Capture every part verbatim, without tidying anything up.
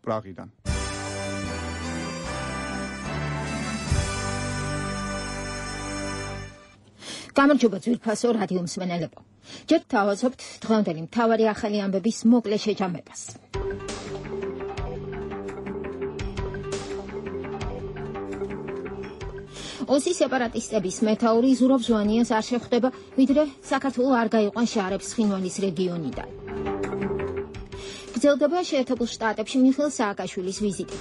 პრაღიდან. გამარჯობა ძვირფასო რადიო მსმენელებო. ჯერ თავაზობთ დღევანდელი მთავარი ახალი ამბების მოკლე შეჯამებას. ოსის სეპარატისტების მეთაური ზურაბ ჟვანიას არ შეხვდება, ვიდრე საქართველოს არ გაიყვანს შაარებს ცხინვალის რეგიონიდან. გრძელდება შეერთებულ შტატებში მიხეილ სააკაშვილის ვიზიტი.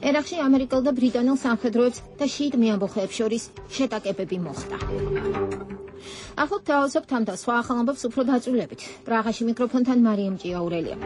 ერაყში ამერიკელ და ბრიტანელ სამხედროებს და შიიტ მეამბოხეებს შორის შეტაკებები მოხდა. ახლა თავაზობთ ამ და სხვა ახალ ამბებს უფრო დაწვრილებით. პრაღაში მიკროფონთან მარიამ ჭიაურელია.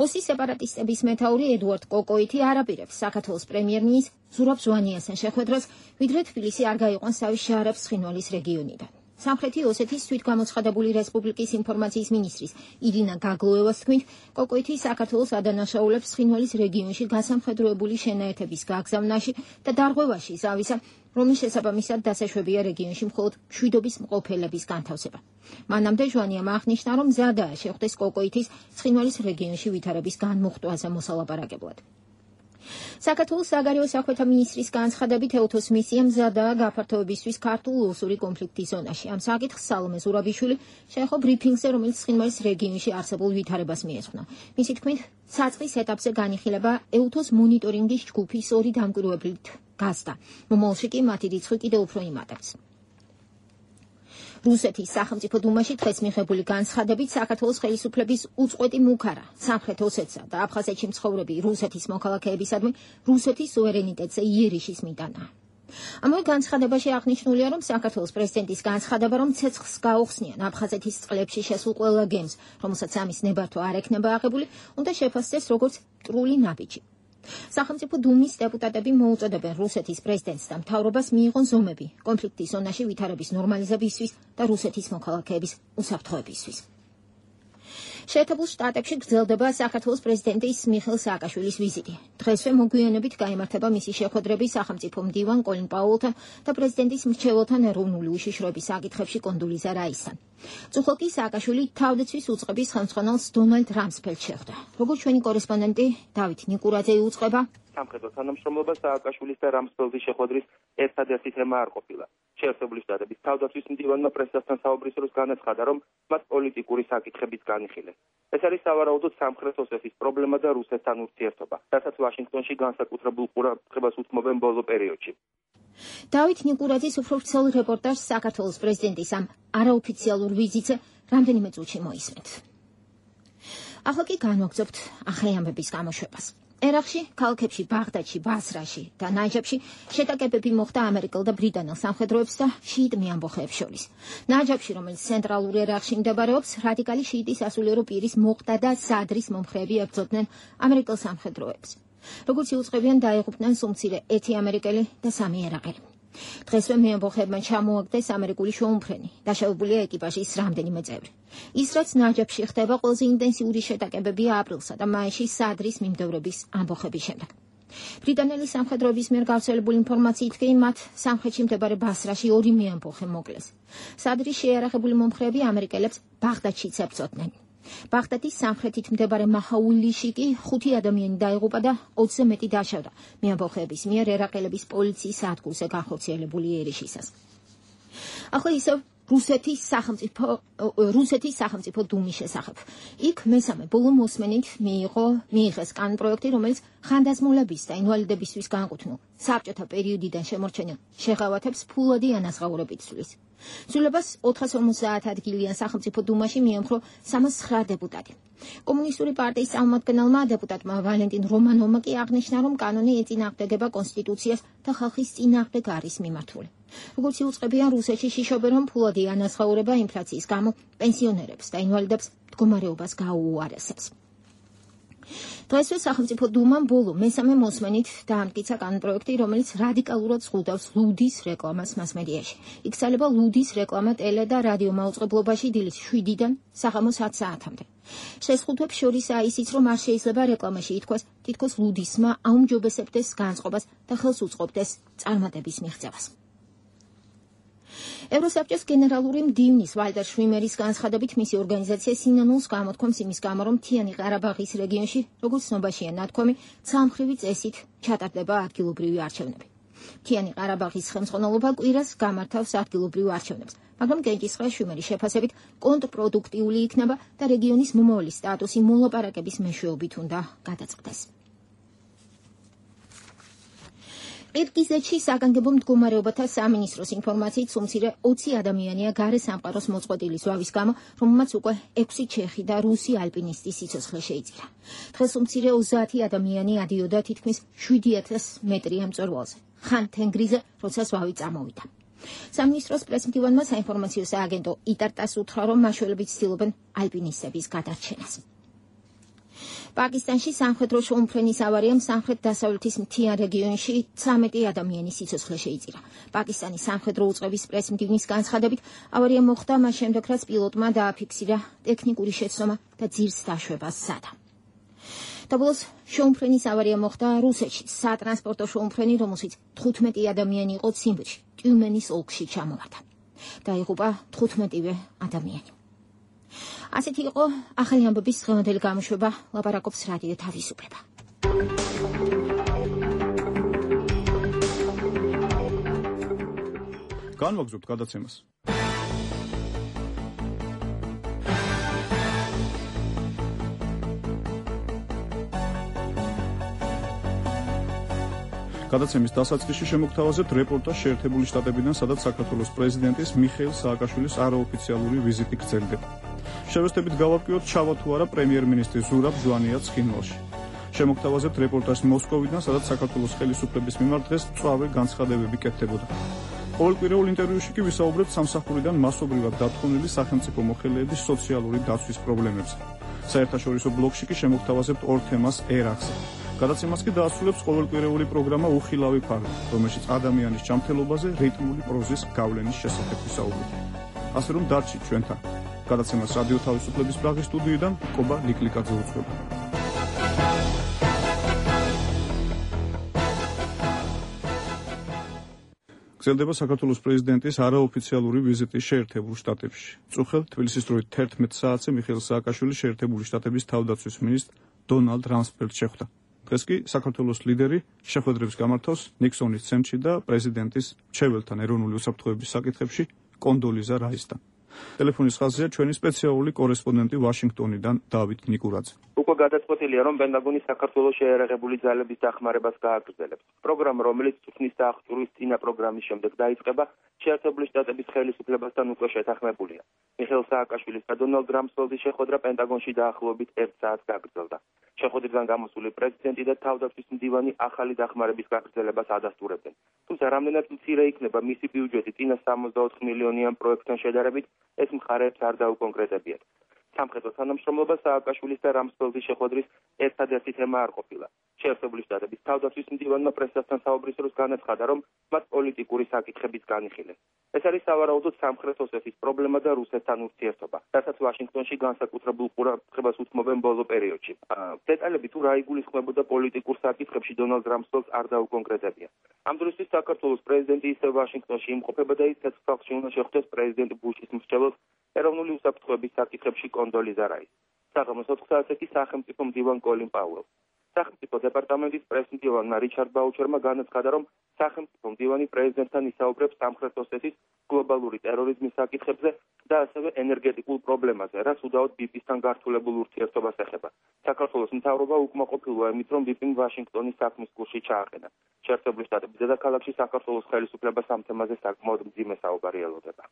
ოსის სეპარატისტების მეთაური ედუარდ კოკოიტი არ აპირებს საქართველოს პრემიერ-მინისტრ ზურაბ ჟვანიასთან შეხვედრას, ვიდრე თბილისი არ გაიყვანს თავის შაარებს ცხინვალის რეგიონიდან. სამხრეთი ოსეთის თვითგამოცხადებული რესპუბლიკის ინფორმაციის მინისტრის ირინა გაგლოევას თქმით, კოკოიტი საქართველოს ადანაშაულებს ცხინვალის რეგიონში გასამხედროებული შენაერთების გაგზავნაში და დარღვევაში ზავისა, რომლის შესაბამისად დასაშვებია რეგიონში მხოლოდ მშვიდობის მყოფელების განთავსება. მანამდე ჟვანიამ აღნიშნა, რომ მზადაა შეხვდეს კოკოიტის ცხინვალის რეგიონში ვითარების განმუხტვაზე მოსალაპარაკებლად. საქართველოს საგარეო საქმეთა მინისტრის განცხადებით, ეუთოს მისია მზადაა გაფართოებისთვის ქართულ-ოსური კონფლიქტის ზონაში. ამ საკითხს სალომე ზურაბიშვილი შეეხო ბრიფინგზე, რომელიც ცხინვალის რეგიონში არსებულ ვითარებას მიეძღვნა. მისი თქმით, საწყის ეტაპზე განიხილება ეუთოს მონიტორინგის ჯგუფის ორი დამკვირვებლით გაზდა. მომავალში კი მათი რიცხვი კიდევ უფრო იმატებს. რუსეთის სახელმწიფო დუმაში დღეს მიღებული განცხადებით საქართველოს ხელისუფლების უწყვეტი მუქარა სამხრეთ ოსეთსა და აფხაზეთში მცხოვრები რუსეთის მოქალაქეებისადმი რუსეთის სუვერენიტეტზე იერიშის მიტანა. ამავე განცხადებაში აღნიშნულია, რომ საქართველოს პრეზიდენტის განცხადება, რომ ცეცხლს გაუხსნიან აფხაზეთის წყლებში შესულ ყველა გემს, რომელსაც ამის ნებართვა არ ექნება აღებული, უნდა შეფასდეს როგორც მტრული ნაბიჯი. სახელმწიფო დუმის დეპუტატები მოუწოდებენ რუსეთის პრეზიდენტს და მთავრობას მიიღონ ზომები კონფლიქტის ზონაში ვითარების ნორმალიზებისთვის და რუსეთის მოქალაქეების უსაფრთხოებისთვის. შეერთებულ შტატებში გრძელდება საქართველოს პრეზიდენტის მიხეილ სააკაშვილის ვიზიტი. დღესვე მოგვიანებით გაიმართება მისი შეხვედრები სახელმწიფო მდივან კოლინ პაუელთან და პრეზიდენტის მრჩეველთან ეროვნული უშიშროების საკითხებში კონდოლიზა რაისთან. წუხელ კი სააკაშვილი თავდაცვის უწყების ხელმძღვანელს დონალდ რამსფელდს შეხვდა. როგორც ჩვენი კორესპონდენტი დავით ნიკურაძე იუწყება, სამხედრო თანამშრომლობა სააკაშვილის და რამსფელდის შეხვედრის ერთადერთი თემა არ ყოფილა. შეერთებული შტატების თავდაცვის მდივანმა პრესასთან საუბრის დროს განაცხადა, რომ მათ პოლიტიკური საკითხებიც განიხილეს. ეს არის სავარაუდოდ სამხრეთ ოსეთის პრობლემა და რუსეთთან ურთიერთობა, რასაც ვაშინგტონში განსაკუთრებულ ყურადღებას უთმობენ ბოლო პერიოდში. დავით ნიკურაძის უფრო ვრცელ რეპორტაჟს საქართველოს პრეზიდენტის ამ არაოფიციალურ ვიზიტზე რამდენიმე წუთში მოისმენთ. ახლა კი განვაგრძობთ ახალი ამბების გამოშვებას. ერაყში, ქალაქებში, ბაღდადში, ბასრაში და ნაჯაფში შეტაკებები მოხდა ამერიკელ და ბრიტანელ სამხედროებს და შიიტ მეამბოხეებს შორის. ნაჯაფში, რომელიც ცენტრალურ ერაყში მდებარეობს, რადიკალი შიიტის სასულიერო პირის მოყდა და სადრის მომხრეები ებრძოდნენ ამერიკელ სამხედროებს. როგორც იუწყებიან, დაიღუპნენ სულ მცირე ერთი ამერიკელი და სამი ერაყელი. დღესვე მეამბოხეებმა ჩამოაგდეს ამერიკული შუამფრენი, დაშავებულია ეკიპაჟის რამდენიმე წევრი. ის, რაც ნაჯაფში ხდება, ყველაზე ინტენსიური შეტაკებებია აპრილსა და მაისში სადრის მიმდევრების ამბოხების შემდეგ. ბრიტანელი სამხედროების მიერ გავრცელებული ინფორმაციით კი მათ სამხრეთში მდებარე ბასრაში ორი მეამბოხე მოკლეს. სადრის შეიარაღებული მომხრეები ამერიკელებს ბაღდადშიც ებრძოდნენ. ბაღდადის სამხრეთით მდებარე მაჰაულიში კი ხუთი ადამიანი დაიღუპა და ოცზე მეტი დაშავდა მეამბოხეების მიერ ერაყელების პოლიციის სადგურზე განხორციელებული იერიშისას. ახლა ისევ რუსეთის სახელმწიფო რუსეთის სახელმწიფო დუმის შესახებ. იქ მესამე ბოლო მოსმენით მიიღო მიიღეს კანონპროექტი, რომელიც ხანდაზმულების და ინვალიდებისთვის განკუთვნილ საბჭოთა პერიოდიდან შემორჩენილ შეღავათებს ფულადი ანაზღაურებით ცვლის. ცვლილებას ოთხას ორმოცდაათ ადგილიან სახელმწიფო დუმაში მიემხრო სამას ცხრა დეპუტატი. კომუნისტური პარტიის წარმომადგენელმა დეპუტატმა ვალენტინ რომანოვმა კი აღნიშნა, რომ კანონი ეწინააღმდეგება კონსტიტუციას და ხალხის წინააღმდეგ არის მიმართული. როგორც იუწყებიან, რუსეთში შიშობენ, რომ ფულადი ანაზღაურება ინფლაციის გამო პენსიონერებს და ინვალიდებს მდგომარეობას გაუუარესებს. დღესვე სახელმწიფო დუმამ ბოლო მესამე მოსმენით დაამტკიცა კანონპროექტი, რომელიც რადიკალურად ზღუდავს ლუდის რეკლამას მასმედიაში. იქცალება ლუდის რეკლამა ტელე და რადიო მაუწყებლობაში დილის შვიდიდან საღამოს ათ საათამდე. შეზღუდვებს შორისაა ისიც, რომ არ შეიძლება რეკლამაში ითქვას, თითქოს ლუდისმა აუმჯობესებდეს განწყობას და ხელს უწყობდეს წარმატების მიღწევას. ევროსაბჭოს გენერალური მდივნის ვალდერ შვიმერის განცხადებით მისი ორგანიზაცია სინანულს გამოთქვამს იმის გამო, რომ მთიანი ყარაბაღის რეგიონში, როგორც ცნობაშია ნათქვამი, ცალმხრივი წესით ჩატარდება ადგილობრივი არჩევნები. მთიანი ყარაბაღის ხელმძღვანელობა კვირას გამართავს ადგილობრივ არჩევნებს, მაგრამ გენჯისყრა შვიმერის შეფასებით კონტრპროდუქტიული იქნება და რეგიონის მომავალი სტატუსი მოლაპარაკების მეშვეობით უნდა გადაწყდეს. ყირგიზეთში საგანგებო მდგომარეობათა სამინისტროს ინფორმაციით სულ მცირე ოცი ადამიანია გარე სამყაროს მოწყვეტილი ზვავის გამო, რომელმაც უკვე ექვსი ჩეხი და რუსი ალპინისტის სიცოცხლე შეიწირა. დღეს სულ მცირე ოცდაათი ადამიანი ადიოდა თითქმის შვიდი ათას მეტრიან მწვერვალზე, ხან თენგრიზე, როცა ზვავი წამოვიდა. სამინისტროს პრესმდივანმა საინფორმაციო სააგენტო იტარტას უთხრა, რომ მაშველები ცდილობენ ალპინისტების გადარჩენას. პაკისტანში სამხედრო შუამფრენის ავარიამ სამხრეთ-დასავლეთის მთიან რეგიონში ცხრამეტი ადამიანის სიცოცხლე შეიწირა. პაკისტანის სამხედრო უწყების პრესმდივნის განცხადებით, ავარია მოხდა მას შემდეგ, რაც პილოტმა დააფიქსირა ტექნიკური შეცდომა და ძირს დაშვება სცადა. დაბოლოს შუამფრენის ავარია მოხდა რუსეთში, სატრანსპორტო შუამფრენი, რომელშიც თხუთმეტი ადამიანი იყო ციმბირში, ტიუმენის ოლქში ჩამოვარდა. დაიღუპა თხუთმეტივე ადამიანი. ასეთი იყო ახალი ამბების დღევანდელი გამოშვება, ლაპარაკობს რადიო თავისუფლება. განვაგრძობთ გადაცემას. გადაცემის დასაწყისში შემოგთავაზებთ რეპორტაჟს შეერთებული შტატებიდან, სადაც საქართველოს პრეზიდენტის მიხეილ სააკაშვილის არაოფიციალური ვიზიტი გრძელდება. შევეცდებით გავარკვიოთ, ჩავა თუ არა პრემიერ-მინისტრი ზურაბ ჟვანია ცხინვალში. შემოგთავაზებთ რეპორტაჟს მოსკოვიდან, სადაც საქართველოს ხელისუფლების მიმართ დღეს მწვავე განცხადებები კეთდებოდა. ყოველკვირეულ ინტერვიუში კი ვისაუბრებთ სამსახურიდან მასობრივად დათხოვნილი სახელმწიფო მოხელეების სოციალური დაცვის პრობლემებზე. საერთაშორისო ბლოკში კი შემოგთავაზებთ ორ თემას ერახზე. გადაცემას კი დაასრულებს ყოველკვირეული პროგრამა უხილავი ფარგლი, რომელშიც ადამიანის ჯანმრთელობაზე რიტმული პროზის გავლენის შესახებ ვისაუბრებთ. ასე რომ დარჩით ჩვენთან. გადაცემას რადიო თავისუფლების პრაღის სტუდიიდან კობა ლიკლიკაძე უძღვება. გრძელდება საქართველოს პრეზიდენტის არაოფიციალური ვიზიტი შეერთებულ შტატებში. წუხელ თბილისის დროით თერთმეტ საათზე მიხეილ სააკაშვილი შეერთებული შტატების თავდაცვის მინისტრ დონალდ რამსფელდს შეხვდა. დღეს კი საქართველოს ლიდერი შეხვედრებს გამართავს ნიქსონის ცენტრში და პრეზიდენტის მრჩეველთან ეროვნული უსაფრთხოების საკითხებში კონდოლიზა რაისთან. ტელეფონის ხაზია ჩვენი სპეციალური კორესპონდენტი ვაშინგტონიდან დავით ნიკურაძე. უკვე გადაწყვეტილია, რომ პენტაგონი საქართველოს შეერაღებული ძალების დახმარებას გააგრძელებს. პროგრამა, რომელიც წვრთნის და აღჭურვის წინა პროგრამის შემდეგ დაიწყება, შეერთებული შტატების ხელისუფლებასთან უკვე შეთანხმებულია. მიხეილ სააკაშვილის და დონალდ რამსფელდის შეხვედრა პენტაგონში დაახლოებით ერთ საათს გაგრძელდა. შეხვედრიდან გამოსული პრეზიდენტი და თავდაცვის მდივანი ახალი დახმარების გაგრძელებას ადასტურებდნენ. თუმცა რამდენად მცირე იქნება მისი ბიუჯეტი წინა სამოცდაოთხ მილიონიან პროექტთან შედარებით, ეს მხარეებს არ დაუკონკრეტებიათ. სამხედრო თანამშრომლობა სააკაშვილის და რამსფელდის შეხვედრის ერთადერთი თემა არ ყოფილა. შეერთებული შტატების თავდაცვის მდივანმა პრესასთან საუბრის დროს განაცხადა, რომ მათ პოლიტიკური საკითხებიც განიხილეს. ეს არის სავარაუდოდ სამხრეთ ოსეთის პრობლემა და რუსეთთან ურთიერთობა, რასაც ვაშინგტონში განსაკუთრებულ ყურადღებას უთმობენ ბოლო პერიოდში. დეტალები თუ რა იგულისხმებოდა პოლიტიკურ საკითხებში დონალდ რამსფელდს არ დაუკონკრეტებია. ამ დროისთვის საქართველოს პრეზიდენტი ისევ ვაშინგტონში იმყოფება და ის ცეცხლსახში უნდა შეხვდეს პრეზიდენტ ბუშის მრჩეველს ეროვნული უსაფრთხოების საკითხებში კონდოლიზა რაისს. საღამოს ოთხ საათზე კი სახელმწიფო მდივან კოლინ პაუელს. სახელმწიფო დეპარტამენტის პრესმდივანმა რიჩარდ ბაუჩერმა განაცხადა, რომ სახელმწიფო მდივანი პრეზიდენტთან ისაუბრებს სამხრეთ ოსეთის გლობალური ტერორიზმის საკითხებზე და ასევე ენერგეტიკულ პრობლემაზე, რაც უდაოდ ბიპ-ისთან გართულებულ ურთიერთობას ეხება. საქართველოს მთავრობა უკმაყოფილოა იმით, რომ ბიპ-იმ ვაშინგტონის საქმის კურსში ჩააყენა. შეერთებული შტატების დედაქალაქში საქართველოს ხელისუფლებას ამ თემაზე საკმაოდ მძიმე საუბარი ელოდება.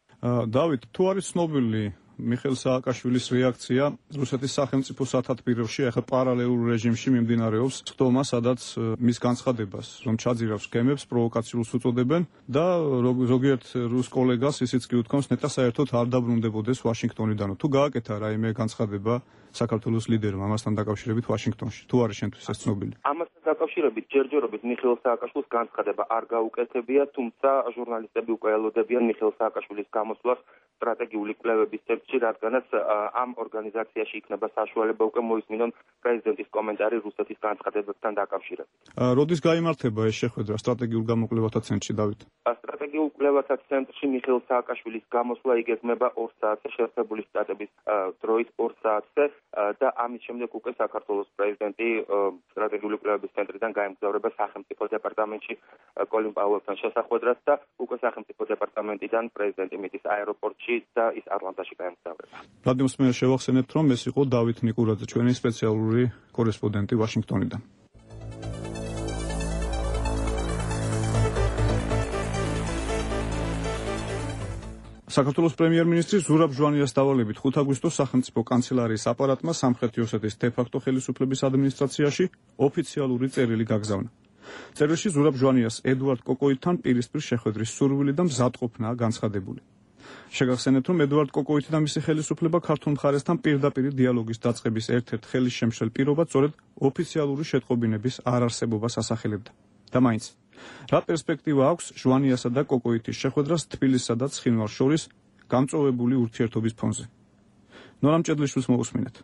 დავით, თუ არის ცნობილი მიხეილ სააკაშვილის რეაქცია რუსეთის სახელმწიფო სათათბიროში, ახლა პარალელურ რეჟიმში მიმდინარეობს ხდომა, სადაც მის განცხადებას, რომ ჩაძირავს გემებს, პროვოკაციულს უწოდებენ და ზოგიერთ რუს კოლეგას ისიც კი უთქვამს, ნეტა საერთოდ არ დაბრუნდებოდეს ვაშინგტონიდანო. თუ გააკეთა რაიმე განცხადება საქართველოს ლიდერმა ამასთან დაკავშირებით ვაშინგტონში, თუ არის შენთვის ეს ცნობილი? ამასთან დაკავშირებით ჯერჯერობით მიხეილ სააკაშვილის განცხადება არ გაუკეთებია, თუმცა ჟურნალისტები უკვე ელოდებიან მიხეილ სააკაშვილის გამოსვლას სტრატეგიული კვლევების ცენტრში, რადგანაც ამ ორგანიზაციაში იქნება საშუალება უკვე მოისმინონ პრეზიდენტის კომენტარი რუსეთის განცხადებებთან დაკავშირებით. როდის გაიმართება ეს შეხვედრა სტრატეგიულ გამოკვლევათა ცენტრში, დავით? სტრატეგიულ კვლევათა ცენტრში მიხეილ სააკაშვილის გამოსვლა იგეგმება ორ საათზე შეერთებული შტატების დროით ორ საათზე და ამის შემდეგ უკვე საქართველოს პრეზიდენტი სტრატეგიული კვლევების ცენტრიდან გაემგზავრება სახელმწიფო დეპარტამენტში კოლინ პაუელთან შესახვედრად და უკვე სახელმწიფო დეპარტამენტიდან პრეზიდენტი მიდის აეროპორტში და ის ატლანტაში გაემგზავრება. რადიოს მე შევახსენებთ, რომ ეს იყო დავით ნიკურაძე, ჩვენი სპეციალური კორესპონდენტი ვაშინგტონიდან. საქართველოს პრემიერ-მინისტრი ზურაბ ჟვანიას დავალებით ხუთი აგვისტოს სახელმწიფო კანცელარიის აპარატმა სამხრეთი ოსეთის დე-ფაქტო ხელისუფლების ადმინისტრაციაში ოფიციალური წერილი გაგზავნა. წერილში ზურაბ ჟვანიას ედუარდ კოკოიტთან პირისპირ შეხვედრის სურვილი და მზადყოფნაა განცხადებული. შეგახსენებთ, რომ ედუარდ კოკოიტი და მისი ხელისუფლება ქართულ მხარესთან პირდაპირ დიალოგის დაწყების ერთ-ერთ ხელისშემშელ პირობად სწორედ ოფიციალური შეტყობინების არარსებობას ასახელებდა. და მაინც რა პერსპექტივა აქვს ჟვანიასა და კოკოიტის შეხვედრას თბილისსა და ცხინვალს შორის გამწვავებული ურთიერთობის ფონზე? ნორამ ჭედლიშვილს მოусმინეთ.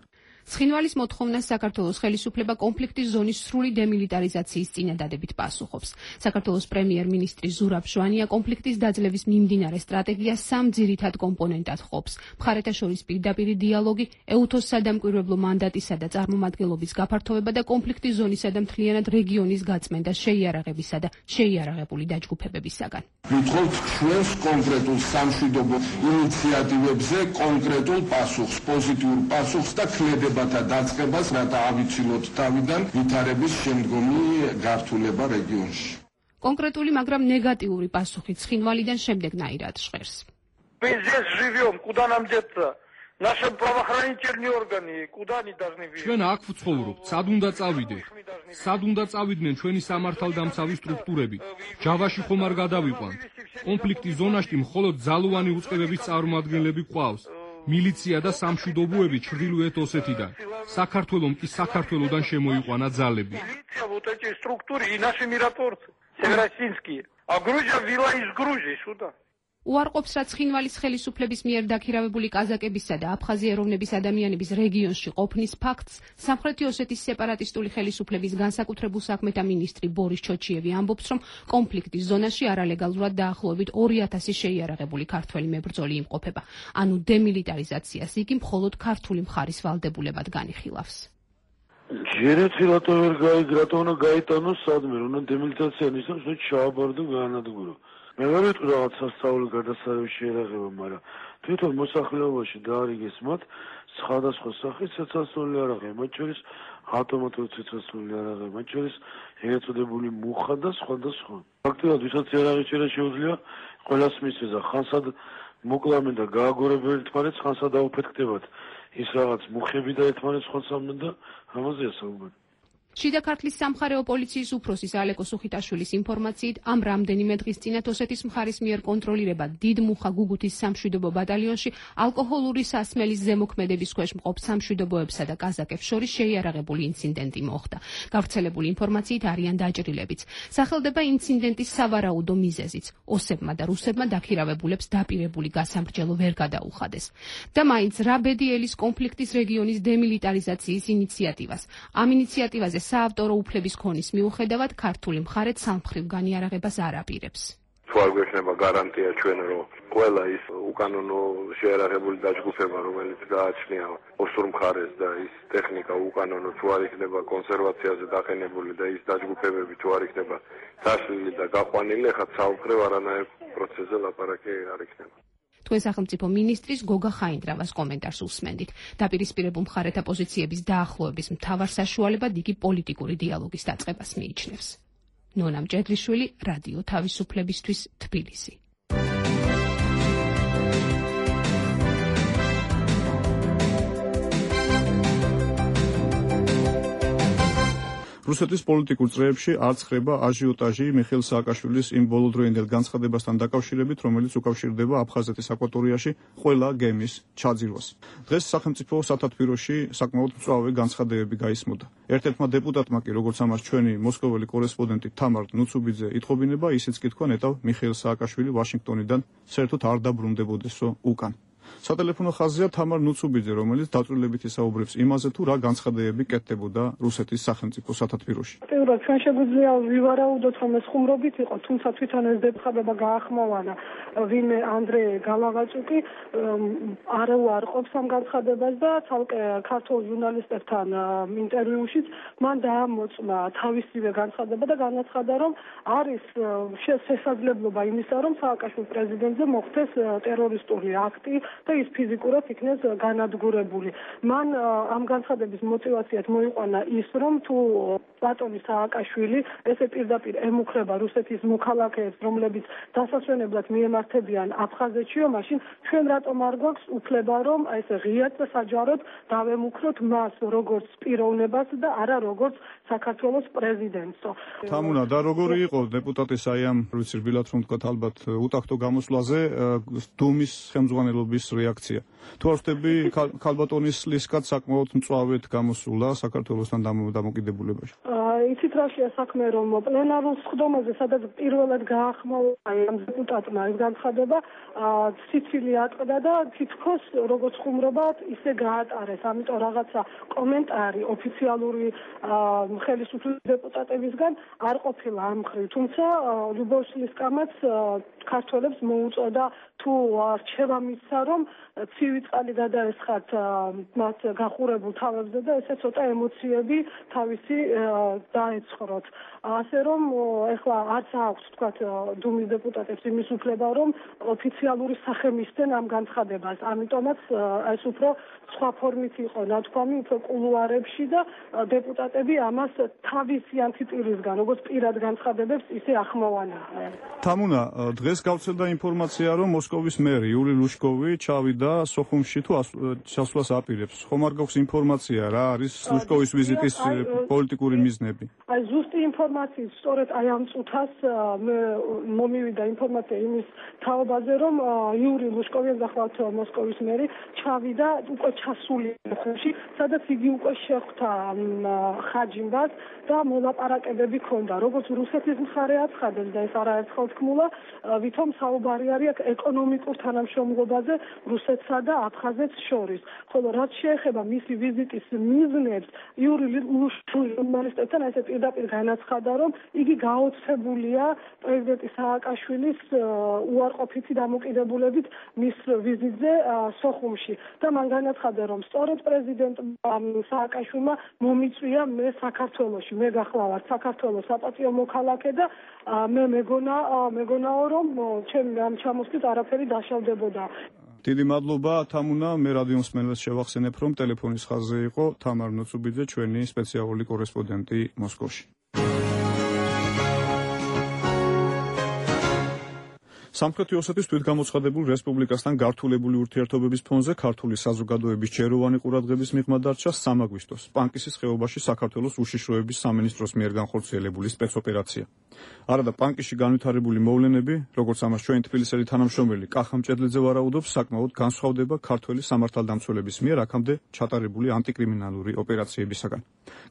ცხინვალის მოთხოვნას საქართველოს ხელისუფლება კონფლიქტის ზონის სრული დემილიტარიზაციის წინადადებით პასუხობს. საქართველოს პრემიერ-მინისტრი ზურაბ ჟვანია კონფლიქტის დაძლევის მიმდინარე სტრატეგიას სამ ძირითად კომპონენტად ყოფს: მხარეთა შორის პირდაპირი დიალოგი, ეუთოს სადამკვირვებლო მანდატისა და წარმომადგენლობის გაფართოვება და კონფლიქტის ზონისა და მთლიანად რეგიონის გაწმენდა შეიარაღებისა და შეიარაღებული დაჯგუფებებისაგან. ვითხოვთ ჩვენს კონკრეტულ სამშვიდობო ინიციატივებზე კონკრეტულ პასუხს, პოზიტიურ პასუხს და ქმედება დაწყებას, რათა ავიცილოთ თავიდან ვითარების შემდგომი გართულება რეგიონში. კონკრეტული, მაგრამ ნეგატიური პასუხი ცხინვალიდან შემდეგნაირად ჟღერს. Мы здесь живем, куда нам деться? Наши правоохранительные органы, куда они должны быть? ჩვენ აქ ვცხოვრობთ, სად უნდა წავიდეთ? სად უნდა წავიდნენ ჩვენი სამართალდამცავი სტრუქტურები? ჯავაში ხომ არ გადავიყვანთ? კონფლიქტის ზონაში მხოლოდ ძალოვანი უწყებების წარმომადგენლები გვყავს. მილიცია და სამშვიდობოები ჩრდილოეთ ოსეთიდან. საქართველომ კი საქართველოდან შემოიყვანა ძალები. Вот эти структуры и наши миротворцы, северосинские. А Грузия ввела из Грузии сюда. უარყოფს, რაც ცხინვალის ხელისუფლების მიერ დაქირავებული კაზაკებისა და აფხაზი ეროვნების ადამიანების რეგიონში ყოფნის ფაქტს სამხრეთი ოსეთის სეპარატისტული ხელისუფლების განსაკუთრებულ საქმეთა მინისტრი ბორის ჩოჩიევი ამბობს, რომ კონფლიქტის ზონაში არალეგალურად დაახლოებით ორი ათასი შეიარაღებული ქართველი მებრძოლი იმყოფება. ანუ დემილიტარიზაციას იგი მხოლოდ ქართული მხარის ვალდებულებად განიხილავს. ჯერეთილატო ვერ გაიგრატო, უნდა გაიტანოს სადმე, უნდა დემილიტარიზაცია ნიშნავს, რომ ჩააბარდო განადგურო. მე ვერ ვიტყვი რაღაც სასწავლო გადასარევი შეერაღება, მაგრამ თვითონ მოსახლეობაში დაარიგეს მათ სხვადასხვა სახის ცეცხლსასროლი არაღები, მათ შორის ავტომატური ცეცხლსასროლი არაღები, მათ შორის ეგრეთ წოდებული მუხა და სხვა და სხვა. ფაქტობრივად ვისაც იარაღი შეიძლება შეუძლია ყველას მისცეს, ხანსად მოკლამენ და გააგორებენ ერთმანეთს, ხანსად დაუფეთქდებათ ის რაღაც მუხები და ერთმანეთს ხოცავდნენ და ამაზეა საუბარი. შიდა ქართლის სამხარეო პოლიციის უფროსის ალეკო სუხიტაშვილის ინფორმაციით, ამ რამდენიმე დღის წინათ ოსეთის მხარის მიერ კონტროლირება დიდ მუხა გუგუთის სამშვიდობო ბატალიონში ალკოჰოლური სასმელის ზემოქმედების ქვეშ მყოფ სამშვიდობოებსა და კაზაკებს შორის შეიარაღებული ინციდენტი მოხდა. გავრცელებული ინფორმაციით არიან დაჭრილებიც. სახელდება ინციდენტის სავარაუდო მიზეზიც. ოსებმა და რუსებმა დაქირავებულებს დაპირებული გასამრჯელო ვერ გადაუხადეს. და მაინც რა ბედი ელის კონფლიქტის რეგიონის დემილიტარიზაციის ინიციატივას. ამ ინიციატივაზე საავტორო უფლების ქონის მიუხედავად ქართული მხარე სამხრივ განიარაღებას არ აპირებს. თუ არ გვექნება გარანტია ჩვენ, რომ ყველა ის უკანონო შეიარაღებული დაჯგუფება, რომელიც გააჩნია ოსურ მხარეს და ის ტექნიკა უკანონო თუ არ იქნება კონსერვაციაზე დაყენებული და ის დაჯგუფებები თუ არ იქნება დაშლილი და გაყვანილი, ხა საუბრებ არანაირ პროცესზე ლაპარაკი არ იქნება. თქვენ სახელმწიფო მინისტრის გოგა ხაინდრავას კომენტარს უსმენდით. დაპირისპირებულ მხარეთა პოზიციების დაახლოების მთავარ საშუალებად იგი პოლიტიკური დიალოგის დაწყებას მიიჩნევს. ნონამ ჭედლიშვილი, რადიო თავისუფლებისთვის, თბილისი. რუსეთის პოლიტიკურ წრეებში არ ცხრება აჟიოტაჟი მიხეილ სააკაშვილის იმ ბოლოდროინდელ განცხადებასთან დაკავშირებით, რომელიც უკავშირდება აფხაზეთის აკვატორიაში ყველა გემის ჩაძირვას. დღეს სახელმწიფო სათათბიროში საკმაოდ მწვავე განცხადებები გაისმოდა. ერთ-ერთმა დეპუტატმა კი, როგორც ამას ჩვენი მოსკოველი კორესპონდენტი თამარ ნუცუბიძე ითხოვინება, ისიც კი თქვა ნეტავ მიხეილ სააკაშვილი ვაშინგტონიდან საერთოდ არ დაბრუნდებოდესო უკან. სატელეფონო ხაზია თამარ ნუცუბიძე, რომელიც დაწვრილებით ისაუბრებს იმაზე, თუ რა განცხადებები კეთდებოდა რუსეთის სახელმწიფო სათათბიროში. პირველად ჩვენ შეგვიძლია ვივარაუდოთ, რომ ეს ხუმრობით იყო, თუმცა თვითონ ეს დეპუტატება გაახმოვანა ვინმე ანდრე გალავაჭუკი არ უარყოფს ამ განცხადებას და ცალკე ქართულ ჟურნალისტებთან ინტერვიუშიც მან დაამოწმა თავისივე განცხადება და განაცხადა, რომ არის შესაძლებლობა იმისა, რომ სააკაშვილის პრეზიდენტზე მოხდეს ტერორისტული აქტი და ის ფიზიკურად იქნეს განადგურებული. მან ამ განცხადების мотивაციად მოიყვანა ის, რომ თუ ბატონი სააკაშვილი ესე პირდაპირ ემუქრება რუსეთის მოქალაქეებს, რომლებიც დასასვენებლად მიემართებიან აფხაზეთშიო, მაშინ ჩვენ რატომ არ გვაქვს უფლება, რომ აი ესე ღიად და საჯაროდ დავემუქროთ მას როგორც პიროვნებას და არა როგორც საქართველოს პრეზიდენტსო. თამუნა, და როგორი იყო დეპუტატის აი ამ ვიცი რბილად რომ თქვა ალბათ უტახტო გამოსვლაზე დუმის ხელმძღვანელობის რეაქცია. თუ არ ვხვდები, ქალბატონის ლისკაც საკმაოდ მწვავედ გამოსულა საქართველოსთან დამოკიდებულებაში. იცით რაშია საქმე, რომ პლენარულ სხდომაზე, სადაც პირველად გაახმოვა ამ დეპუტატმა ეს განცხადება, სიცილი ატყდა და თითქოს როგორც ხუმრობად ისე გაატარეს. ამიტომ რაღაცა კომენტარი ოფიციალური ხელისუფლების დეპუტატებისგან არ ყოფილა ამ მხრივ. თუმცა ლუბოვ ლისკამაც ქართველებს მოუწოდა თუ რჩევა მისცა, რომ ცივი წყალი გადაესხათ მათ გახურებულ თავებზე და ესე ცოტა ემოციები თავისი დაეცხროთ. ასე რომ ეხლა არც აქვს თქვათ დუმის დეპუტატებს იმის უფლება, რომ ოფიციალური სახე მისცენ ამ განცხადებას. ამიტომაც ეს უფრო სხვა ფორმით იყო ნათქვამი, უფრო კულუარებში და დეპუტატები ამას თავისი ანტიტირისგან, როგორც პირად განცხადებებს, ისე ახმოვანებდნენ. თამუნა, დღეს გავრცელდა ინფორმაცია, რომ მოსკოვის მერი იური ლუშკოვი ჩავიდა სოხუმში თუ ჩასვლას აპირებს. ხომ არ გაქვს ინფორმაცია, რა არის ლუშკოვის ვიზიტის პოლიტიკური მიზნები? აი ზუსტი ინფორმაციის სწორედ აი ამ წუთას მე მომივიდა ინფორმაცია იმის თაობაზე, რომ იური ლუშკოვი, ახალთ მოსკოვის მერი, ჩავიდა უკვე ჩასული ხოში, სადაც იგი უკვე შეხვდა ხაჯიმბას და მოლაპარაკებები ჰქონდა. როგორც რუსეთის მხარე აცხადებს და ეს არაერთხელ თქმულა, ვითომ საუბარი არის ეკონომიკურ თანამშრომლობაზე რუსეთსა და აფხაზეთს შორის. ხოლო რაც შეეხება მისი ვიზიტის მიზნებს, იური ლუშკოვის ჟურნალისტებთან ესე პირდაპირ განაცხადა, რომ იგი გაოცებულია პრეზიდენტი სააკაშვილის უარყოფითი დამოკიდებულებით მის ვიზიტზე სოხუმში და მან განაცხადა, რომ სწორედ პრეზიდენტ სააკაშვილმა მომიწვია მე საქართველოში, მე გახლავართ საქართველოს საპატიო მოქალაქე და მე მეგონა მეგონაო, რომ ჩემი ამ ჩამოსვლით არაფერი დაშავდებოდა. დიდი მადლობა თამუნა, მე რადიო მსმენელს შევახსენებ, რომ ტელეფონის ხაზზე იყო თამარ ნუცუბიძე, ჩვენი სპეციალური კორესპონდენტი მოსკოვში. სამხრეთი ოსეთის თვითგამოცხადებულ რესპუბლიკასთან გართულებული ურთიერთობების ფონზე ქართული საზოგადოების ჯეროვანი ყურადღების მიღმა დარჩა სამ აგვისტოს პანკისის ხეობაში საქართველოს უშიშროების სამინისტროს მიერ განხორციელებული სპეცოპერაცია. არადა პანკისში განვითარებული მოვლენები, როგორც ამას ჩვენი თბილისელი თანამშრომელი კახა მჭედლიძე ვარაუდობს, საკმაოდ განსხვავდება ქართველი სამართალდამცველების მიერ აქამდე ჩატარებული ანტიკრიმინალური ოპერაციებისაგან.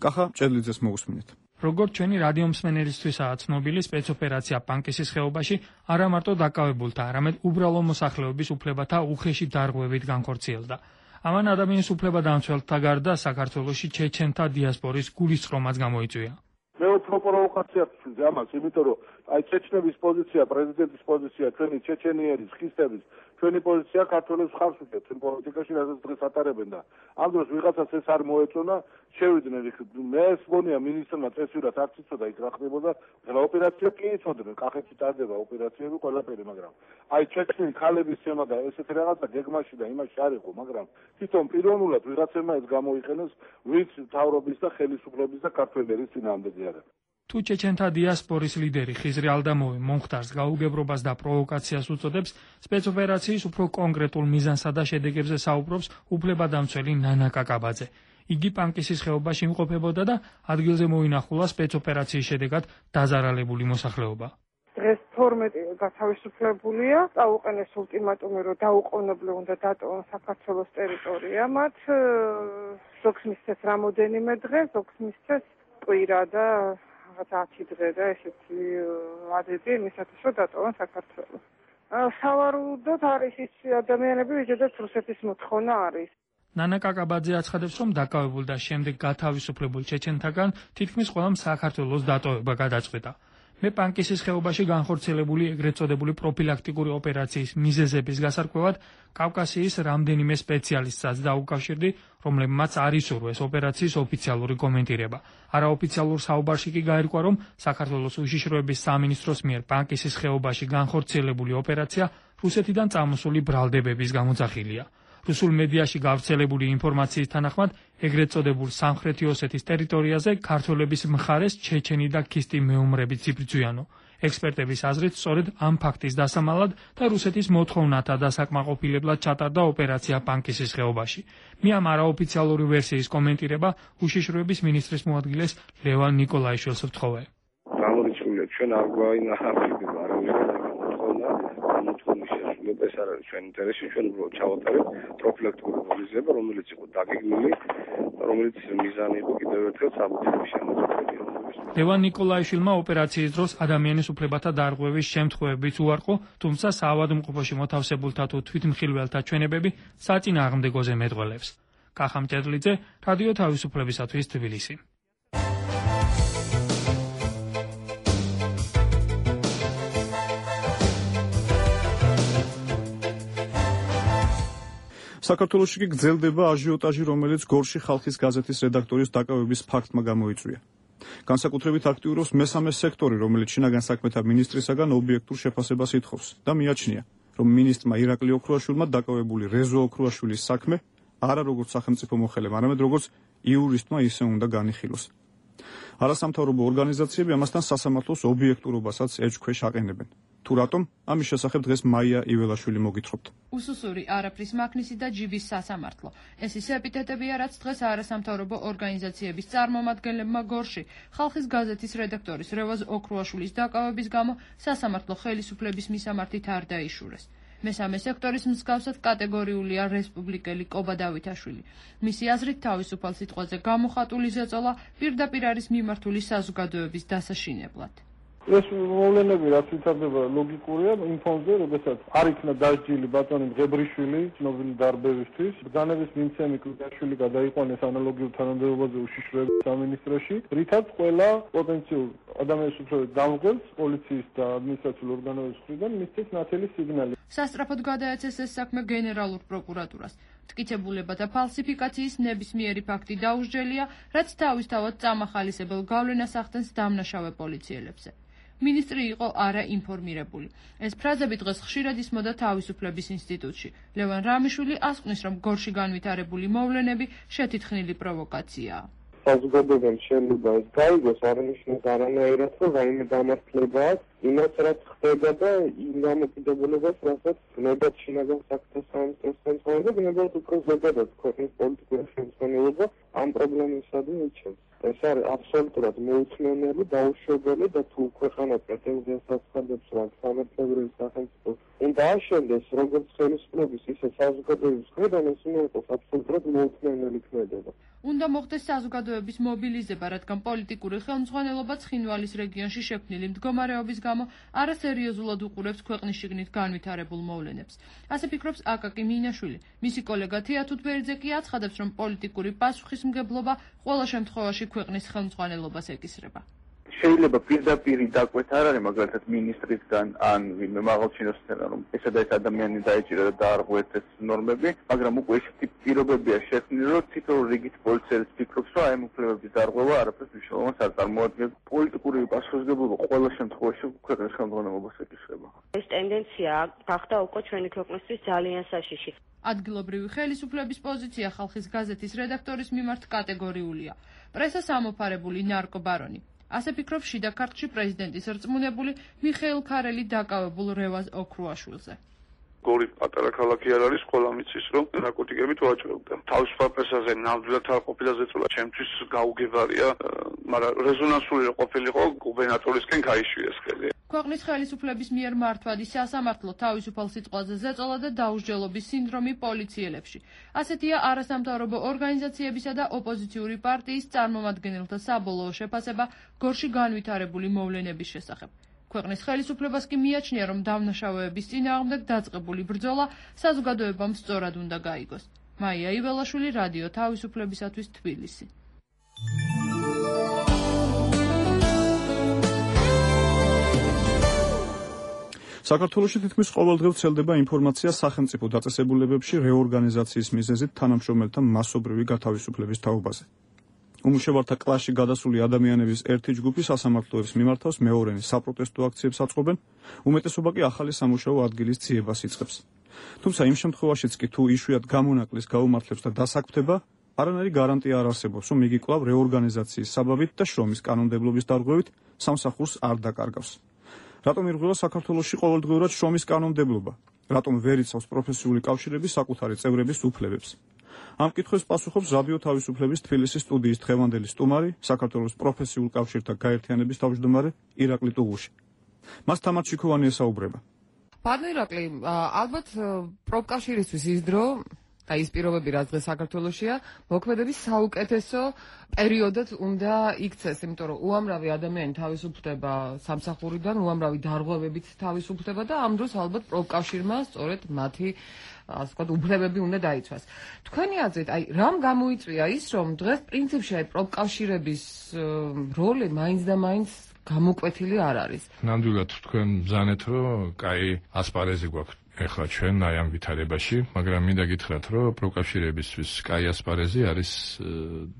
კახა მჭედლიძეს მოусმინეთ. როგორც ჩვენი რადიო მსმენელისთვისაა ცნობილი, სპეცოპერაცია პანკისის ხეობაში არა მარტო დაკავებულთა, არამედ უბრალო მოსახლეობის უფლებათა უხეში დარღვევით განხორციელდა. ამან ადამიანის უფლებადამცველთა გარდა საქართველოში ჩეჩენთა დიასპორის გულისწყრომაც გამოიწვია. მე უფრო პროვოკაციას ვცვლი ამას, იმიტომ რომ აი ჩეჩნების პოზიცია, პრეზიდენტის პოზიცია, ჩვენი ჩეჩენიერის, ხისტების, ჩვენი პოზიცია ქართველებს ხარს უჭერს ჩვენ პოლიტიკაში, რასაც დღეს ატარებენ და ამ დროს ვიღაცას ეს არ მოეწონა, შევიდნენ იქ. მე ეს მგონია მინისტრმა წესვირად არ იცოდა იქ რა ხდებოდა, რა ოპერაცია კი იცოდნენ, კახეთში ტარდება ოპერაციები ყველაფერი, მაგრამ აი ჩეჩნი ქალების თემა და ესეთი რაღაცა გეგმაში და იმაში არ იყო, მაგრამ თვითონ პიროვნულად ვიღაცებმა ეს გამოიყენეს, ვინც მთავრობის და ხელისუფლების და ქართველების წინააღმდეგი არის. თუ ჩეჩენთა დიასპორის ლიდერი ხიზრი ალდამოვი მომხდარს გაუგებრობას და პროვოკაციას უწოდებს, სპეცოპერაციის უფრო კონკრეტულ მიზანსა და შედეგებზე საუბრობს უფლებადამცველი ნანა კაკაბაძე. იგი პანკისის ხეობაში იმყოფებოდა და ადგილზე მოინახულა სპეცოპერაციის შედეგად დაზარალებული მოსახლეობა. დღეს თორმეტი გათავისუფლებულია, წაუყენეს ultimatumi, რომ დაუყოვნებლივ უნდა დატოვონ საქართველოს ტერიტორია. მათ ზოგს მისცეს რამოდენიმე დღე, ზოგს მისცეს კვირა და რაღაც ათი დღე და ესეთი ადები იმისათვის, რომ დატოვონ საქართველოს. სავარაუდოდ არის ის ადამიანები, ვისაც რუსეთის მოთხოვნა არის. ნანა კაკაბაძე აცხადებს, რომ დაკავებულ და შემდეგ გათავისუფლებულ ჩეჩენთაგან თითქმის ყველამ საქართველოს დატოვება გადაწყვეტა. მე პანკისის ხეობაში განხორციელებული ეგრეთ წოდებული პროფილაქტიკური ოპერაციის მიზეზების გასარკვევად კავკასიის რამდენიმე სპეციალისტსაც დაუკავშირდი, რომლებმაც არ ისურვეს ოპერაციის ოფიციალური კომენტირება. არაოფიციალურ საუბარში კი გაირკვა, რომ საქართველოს უშიშროების სამინისტროს მიერ პანკისის ხეობაში განხორციელებული ოპერაცია რუსეთიდან წამოსული ბრალდებების გამოძახილია. რუსულ მედიაში გავრცელებული ინფორმაციის თანახმად, ეგრეთ წოდებულ სამხრეთი ოსეთის ტერიტორიაზე ქართველების მხარეს ჩეჩენი და ქისტი მეომრებიც იბრძვიანო. ექსპერტების აზრით, სწორედ ამ ფაქტის დასამალად და რუსეთის მოთხოვნათა დასაკმაყოფილებლად ჩატარდა ოპერაცია პანკისის ხეობაში. მე ამ არაოფიციალური ვერსიის კომენტირება უშიშროების მინისტრის მოადგილეს ლევან ნიკოლაიშვილს ვთხოვე. გამორიცხულია ჩვენ არ გვაინახავდება არავის მოთხოვნა ეს არ არის ჩვენ ინტერესი, ჩვენ უბრალოდ ჩავატარეთ პროფილაქტიკური მიზნება, რომელიც იყო დაგეგმილი, რომელიც მიზანი იყო კიდევ ერთხელ საბუთების შემოწმება. ლევან ნიკოლაიშვილმა ოპერაციის დროს ადამიანის უფლებათა დარღვევის შემთხვევებიც უარყო, თუმცა საავადმყოფოში მოთავსებულთა თუ თვითმხილველთა ჩვენებები საწინააღმდეგოზე მეტყველებს. კახამ ჭედლიძე, რადიო თავისუფლებისათვის თბილისი. საქართველოში კი გრძელდება აჟიოტაჟი, რომელიც გორში ხალხის გაზეთის რედაქტორის დაკავების ფაქტმა გამოიწვია. განსაკუთრებით აქტიურობს მესამე სექტორი, რომელიც შინაგან საქმეთა მინისტრისაგან ობიექტურ შეფასებას ითხოვს და მიაჩნია, რომ მინისტრმა ირაკლი ოქრუაშვილმა დაკავებული რეზო ოქრუაშვილის საქმე არა როგორც სახელმწიფო მოხელემ, არამედ როგორც იურისტმა ისე უნდა განიხილოს. არასამთავრობო ორგანიზაციები ამასთან სასამართლოს ობიექტურობასაც ეჭქვეშ აყენებენ. თუ რატომ, ამის შესახებ დღეს მაია იველაშვილი მოგითხრობთ. უსუსური არაფრის მაქნისი და ჯიბის სასამართლო. ეს ის ეპიტეტებია, რაც დღეს არასამთავრობო ორგანიზაციების წარმომადგენლებმა გორში ხალხის გაზეთის რედაქტორის რევაზ ოქრუაშვილის დაკავების გამო სასამართლო ხელისუფლების მისამართით არ დაიშურეს. მესამე სექტორის მსგავსად კატეგორიულია რესპუბლიკელი კობა დავითაშვილი. მისი აზრით თავისუფალ სიტყვაზე გამოხატული ზეწოლა პირდაპირ არის მიმართული საზოგადოების დასაშინებლად. ეს მოვლენები რაც ვითარდება ლოგიკურია იმ ფონზე, როდესაც არ იქნა დასჯილი ბატონი მღებრიშვილი ცნობილი დარბევისთვის, ბრძანების მიმცემი კლიკაშვილი გადაიყვანეს ანალოგიურ თანამდებობაზე უშიშროების სამინისტროში, რითაც ყველა პოტენციურ ადამიანის უფლებებს დამღებს პოლიციის და ადმინისტრაციული ორგანოების მხრიდან მისცეს ნათელი სიგნალი. სასტრაფოდ გადაეცეს ეს საქმე გენერალურ პროკურატურას. მტკიცებულებათა ფალსიფიკაციის ნებისმიერი ფაქტი დაუსჯელია, რაც თავისთავად წამახალისებელ გავლენას ახდენს დამნაშავე პოლიციელებზე. მინისტრი იყო არაინფორმირებული. ეს ფრაზები დღეს ხშირად ისმოდა თავისუფლების ინსტიტუტში. ლევან რამიშვილი ასკვნის, რომ გორში განვითარებული მოვლენები შეთითხნილი პროვოკაციაა. საზოგადოებამ შეიძლება ეს გაიგოს, არანიშნავს არანაირად, რომ რაიმე დამართლება აქვს იმას, რაც ხდება და იმ დამოკიდებულებას, რასაც გნებად შინაგან საქმეთა სამინისტროს ხელმძღვანელი და გნებად უფრო ზოგადად ქვეყნის პოლიტიკური ხელმძღვანელობა ამ პრობლემისადმი იჩენს. ეს არის აბსოლუტურად მოუწმენელი, დაუშვებელი და თუ ქვეყანა პრეტენზიას აცხადებს, რომ სამართლებრივი სახელმწიფო უნდა აშენდეს როგორც ხელისუფლების, ისე საზოგადოების მხრიდან, ეს უნდა იყოს აბსოლუტურად მოუწმენელი ქმედება. უნდა მოხდეს საზოგადოების მობილიზება, რადგან პოლიტიკური ხელმძღვანელობა ცხინვალის რეგიონში შექმნილი მდგომარეობის გამო არასერიოზულად უყურებს ქვეყნის შიგნით განვითარებულ მოვლენებს. ასე ფიქრობს აკაკი მინაშვილი. მისი კოლეგა თეა თუთბერიძე კი აცხადებს, რომ პოლიტიკური პასუხისმგებლობა ყველა შემთხვევაში ქვეყნის ხელმძღვანელობას ეკისრება. შეიძლება პირდაპირი დაკვეთა არ არის, მაგალითად მინისტრისგან ან ვინმე მაღალჩინოსთან, რომ ესა და ეს ადამიანი დაეჭირა და დაარღვევს ეს ნორმები, მაგრამ უკვე ესეთი პირობებია შექმნილი, რომ თითოეულ რიგით პოლიციელს ფიქრობს, რომ აი ამ უფლებების დარღვევა არაფერს მნიშვნელობას არ წარმოადგენს. პოლიტიკური პასუხისმგებლობა ყველა შემთხვევაში ქვეყნის ხელმძღვანელობას ეკისრება. ეს ტენდენცია გახდა უკვე ჩვენი ქვეყნისთვის ძალიან საშიში. ადგილობრივი ხელისუფლების პოზიცია ხალხის გაზეთის რედაქტორის მიმართ კატეგორიულია. პრესას ამოფარებული ნარკობარონი. ასე ფიქრობს შიდა ქართლში პრეზიდენტის რწმუნებული მიხეილ ქარელი დაკავებულ რევაზ ოქრუაშვილზე. გორი პატარა ქალაქი არ არის, ყველა მიცის რომ ნარკოტიკებით ვაჭრობდა. თავისუფალ პრესაზე ნამდვილად არ ყოფილა ზეწოლა, ჩემთვის გაუგებარია, მაგრამ რეზონანსული რო ყოფილიყო გუბერნატორისკენ გაიშვიეს ხელი. ქვეყნის ხელისუფლების მიერ მართვადი სასამართლო თავისუფალ სიტყვაზე ზეწოლა და დაუსჯელობის სინდრომი პოლიციელებში. ასეთია არასამთავრობო ორგანიზაციებისა და ოპოზიციური პარტიის წარმომადგენელთა საბოლოო შეფასება გორში განვითარებული მოვლენების შესახებ. ქვეყნის ხელისუფლებას კი მიაჩნია, რომ დამნაშავეების წინააღმდეგ დაწყებული ბრძოლა საზოგადოებამ სწორად უნდა გაიგოს. მაია იველაშვილი, რადიო თავისუფლებისათვის, თბილისი. საქართველოში თითქმის ყოველდღე ვრცელდება ინფორმაცია სახელმწიფო დაწესებულებებში რეორგანიზაციის მიზეზით თანამშრომელთა მასობრივი გათავისუფლების თაობაზე. უმუშევართა კლასში გადასული ადამიანების ერთი ჯგუფი სასამართლოებს მიმართავს მეორენი საპროტესტო აქციებს აწყობენ, უმეტესობა კი ახალი სამუშაო ადგილის ძიებას იწყებს. თუმცა იმ შემთხვევაშიც კი თუ იშვიათ გამონაკლის გაუმართლებს და დასაქმდება, არანაირი გარანტია არ არსებობს, რომ იგი კვლავ რეორგანიზაციის საბაბით და შრომის კანონმდებლობის დარღვევით სამსახურს არ დაკარგავს. რატომ ირღვევა საქართველოში ყოველდღიურად შრომის კანონმდებლობა? რატომ ვერ იცავს პროფესიული კავშირები საკუთარი წევრების უფლებებს? ამ კითხვებს პასუხობს რადიო თავისუფლების თბილისის სტუდიის დღევანდელი სტუმარი, საქართველოს პროფესიულ კავშირთა გაერთიანების თავმჯდომარე ირაკლი ტუღუში. მას თამარ ჩიქოვანი ესაუბრება. ბატონო ირაკლი, ალბათ პროფკავშირისთვის ის დრო და ის პირობები, რაც დღეს საქართველოშია, მოქმედების საუკეთესო პერიოდად უნდა იქცეს, იმიტომ რომ უამრავი ადამიანი თავისუფლდება სამსახურიდან, უამრავი დარღვევებით თავისუფლდება და ამ დროს ალბათ პროფკავშირმა სწორედ მათი ასე ვთქვათ, უფლებები უნდა დაიცვას. თქვენი აზრით, აი, რამ გამოიწვია ის, რომ დღეს პრინციპში აი პროფკავშირების როლი მაინც და მაინც გამოკვეთილი არ არის? ნამდვილად თქვენ ბრძანეთ, რომ კაი ასპარეზი გვაქვს ეხლა ჩვენ აი ამ ვითარებაში, მაგრამ მინდა გითხრათ, რომ პროფკავშირებისთვის კაი ასპარეზი არის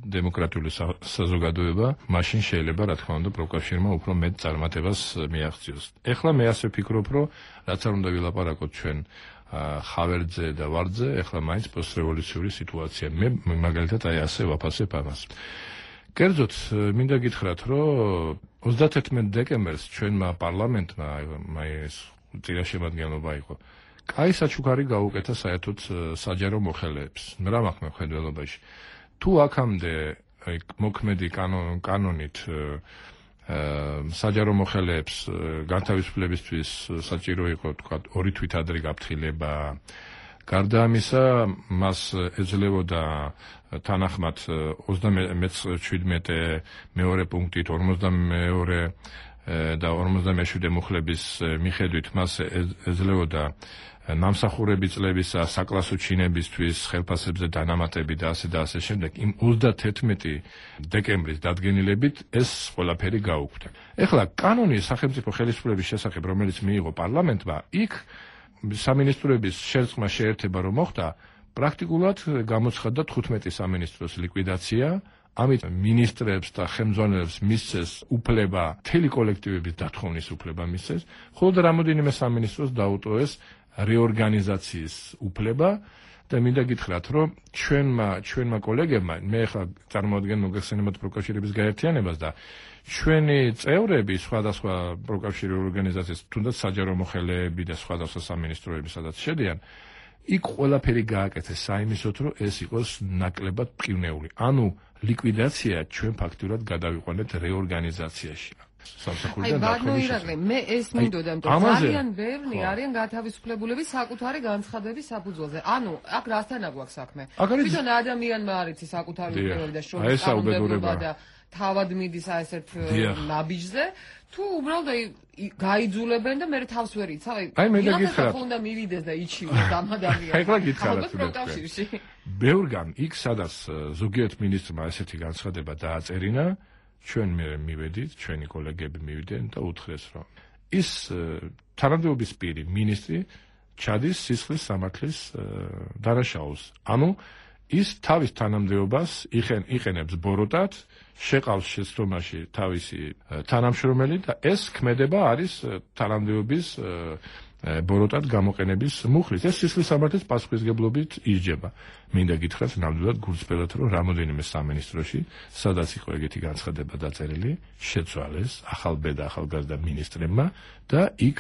დემოკრატიული საზოგადოება, მაშინ შეიძლება რა თქმა უნდა პროფკავშირმა უფრო მეტ წარმატებას მიაღწიოს. ეხლა მე ასე ვფიქრობ, რომ რაც არ უნდა ვილაპარაკოთ ჩვენ ხავერძე და ვარძე, ეხლა მაინც პოსტრევოლუციური სიტუაცია. მე მაგალითად აი ასე ვაფასებ ამას. კერძოდ მინდა გითხრათ, რომ ოცდათერთმეტ დეკემბერს ჩვენმა პარლამენტმა აი ეს წინაშემადგენლობა იყო. კაი საჩუქარი გაუკეთა საერთოდ საჯარო მოხელეებს. რა მაქვს მხედველობაში. თუ აქამდე აი მოქმედი კანონით საჯარო მოხელეებს განთავისუფლებისთვის საჭირო იყო თქვა ორი თვით ადრე გაფრთხილება. გარდა ამისა, მას ეძლეოდა თანახმად ოცდამეცხრამეტე მეორე პუნქტით ორმოცდამეორე და ორმოცდამეშვიდე მუხლების მიხედვით მას ეძლეოდა ნამსახურები წლებისა, საკლასო ჩინებისთვის, ხელფასებზე დანამატები და ასე და ასე შემდეგ. იმ ოცდათერთმეტი დეკემბრის დადგენილებით ეს ყველაფერი გაუქმდა. ეხლა კანონი სახელმწიფო ხელისუფლების შესახებ, რომელიც მიიღო პარლამენტმა, იქ სამინისტროების შერწყმა შეერთება რომ მოხდა, პრაქტიკულად გამოცხადდა თხუთმეტი სამინისტროს ლიკვიდაცია. ამით მინისტრებს და ხელმძღვანელებს მისცეს უფლება, მთელი კოლექტივების დათხოვნის უფლება მისცეს, ხოლო რამოდენიმე სამინისტროს დაუტოვეს რეორგანიზაციის უფლება და მინდა გითხრათ, რომ ჩვენმა ჩვენმა კოლეგებმა, მე ახლა წარმოადგენ მოგეხსენებათ პროფკავშირების გაერთიანებას და ჩვენი წევრები სხვადასხვა პროფკავშირი ორგანიზაციის, თუნდაც საჯარო მოხელეები და სხვადასხვა სამინისტროები, სადაც შედიან, იქ ყველაფერი გააკეთეს საიმისოთ, რომ ეს იყოს ნაკლებად მყინვეული. ანუ ლიკვიდაცია ჩვენ ფაქტურად გადავიყვანეთ რეორგანიზაციაში. აი, ბატონო ირაკლი, მე ეს მინდოდა, რომ ძალიან ბევრი არიან გათავისუფლებულები საკუთარი განცხადების საფუძველზე. ანუ, აქ რასთან აგვაქვს საქმე? თვითონ ადამიანმა არის საკუთარი უფლებები და შრომის კანონმდებლობა და თავად მიდის აი ესეთ ნაბიჯზე, თუ უბრალოდ გაიძულებენ და მე თავს ვერ იცავ. აი, მე გითხრათ, უნდა მივიდეს და იჩივდეს ამ ადამიანს. აი, გითხრათ, ბევრგან იქ სადაც ზოგიერთ მინისტრმა ესეთი განცხადება დააწერინა, ჩვენ მე მივედით, ჩვენი კოლეგები მივიდნენ და უთხრეს, რომ ის თანამდებობის პირი მინისტრი ჩადის სისხლის სამართლის დანაშაულს. ანუ ის თავის თანამდებობას იყენებს ბოროტად, შეყავს შეცდომაში თავისი თანამშრომელი და ეს ქმედება არის თანამდებობის ბოროტად გამოყენების მუხლით. ეს სისხლის სამართლის პასუხისგებლობით ისჯება. მინდა გითხრათ ნამდვილად გულწრფელად, რომ რამოდენიმე სამინისტროში, სადაც იყო ეგეთი განცხადება დაწერილი, შეცვალეს ახალბედა ახალგაზრდა მინისტრებმა და იქ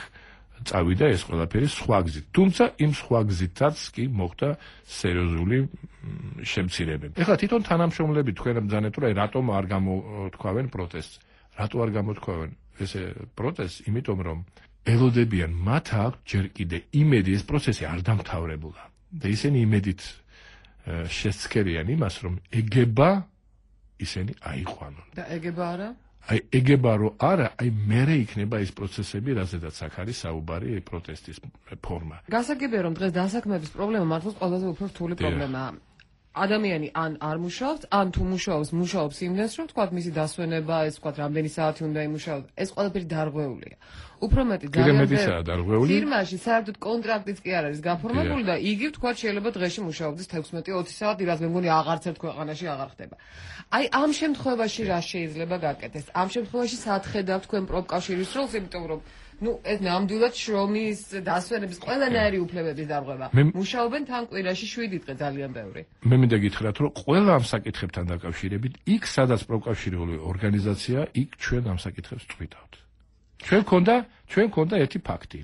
წავიდა ეს ყველაფერი სხვა გზით. თუმცა იმ სხვა გზითაც კი მოხდა სერიოზული შემცირებები. ეხლა თვითონ თანამშრომლები თქვენ ბრძანეთ, რომ რატომ არ გამოთქვავენ პროტესტს. რატო არ გამოთქვავენ ესე პროტესტს? იმიტომ რომ ელოდებიან, მათ აქვს ჯერ კიდე იმედი, ეს პროცესი არ დამთავრებულა. და ისინი იმედით შესცქერიან იმას, რომ ეგება ისინი აიყვანონ. და ეგება არა? აი ეგება რომ არა, აი მერე იქნება ეს პროცესები, რაზედაც აქ არის საუბარი პროტესტის ფორმა. გასაგებია რომ დღეს დასაქმების პრობლემა მართლაც ყველაზე უფრო რთული პრობლემაა. ადამიანი ან არ მუშაობს, ან თუ მუშაობს, მუშაობს იმდენს, რომ თქვათ მისი დასვენება, ეს თქვათ რამდენი საათი უნდა იმუშაოს, ეს ყველაფერი დარღვეულია. უფრო მეტი ძალიან დარღვეული. ფირმაში საერთოდ კონტრაქტიც კი არ არის გაფორმებული და იგი თქვათ შეიძლება დღეში მუშაობდეს თექვსმეტი ოცი საათი, რაც მე მგონი აღარც ერთ ქვეყანაში აღარ ხდება. აი ამ შემთხვევაში რა შეიძლება გაკეთდეს? ამ შემთხვევაში საათხედავთ თქვენ პროფკავშირის როლს, იმიტომ რომ ну ეს ნამდვილად შრომის დასვენების ყველანაირი უფლებების დარღვევა. მუშაობენ თან კვირაში შვიდი დღე ძალიან ბევრი. მე მინდა გითხრათ, რომ ყველა ამ საკითხებთან დაკავშირებით, იქ სადაც პროფკავშირული ორგანიზაცია, იქ ჩვენ ამ საკითხებს წვითავთ. ჩვენ გქონდა, ჩვენ გქონდა ერთი ფაქტი.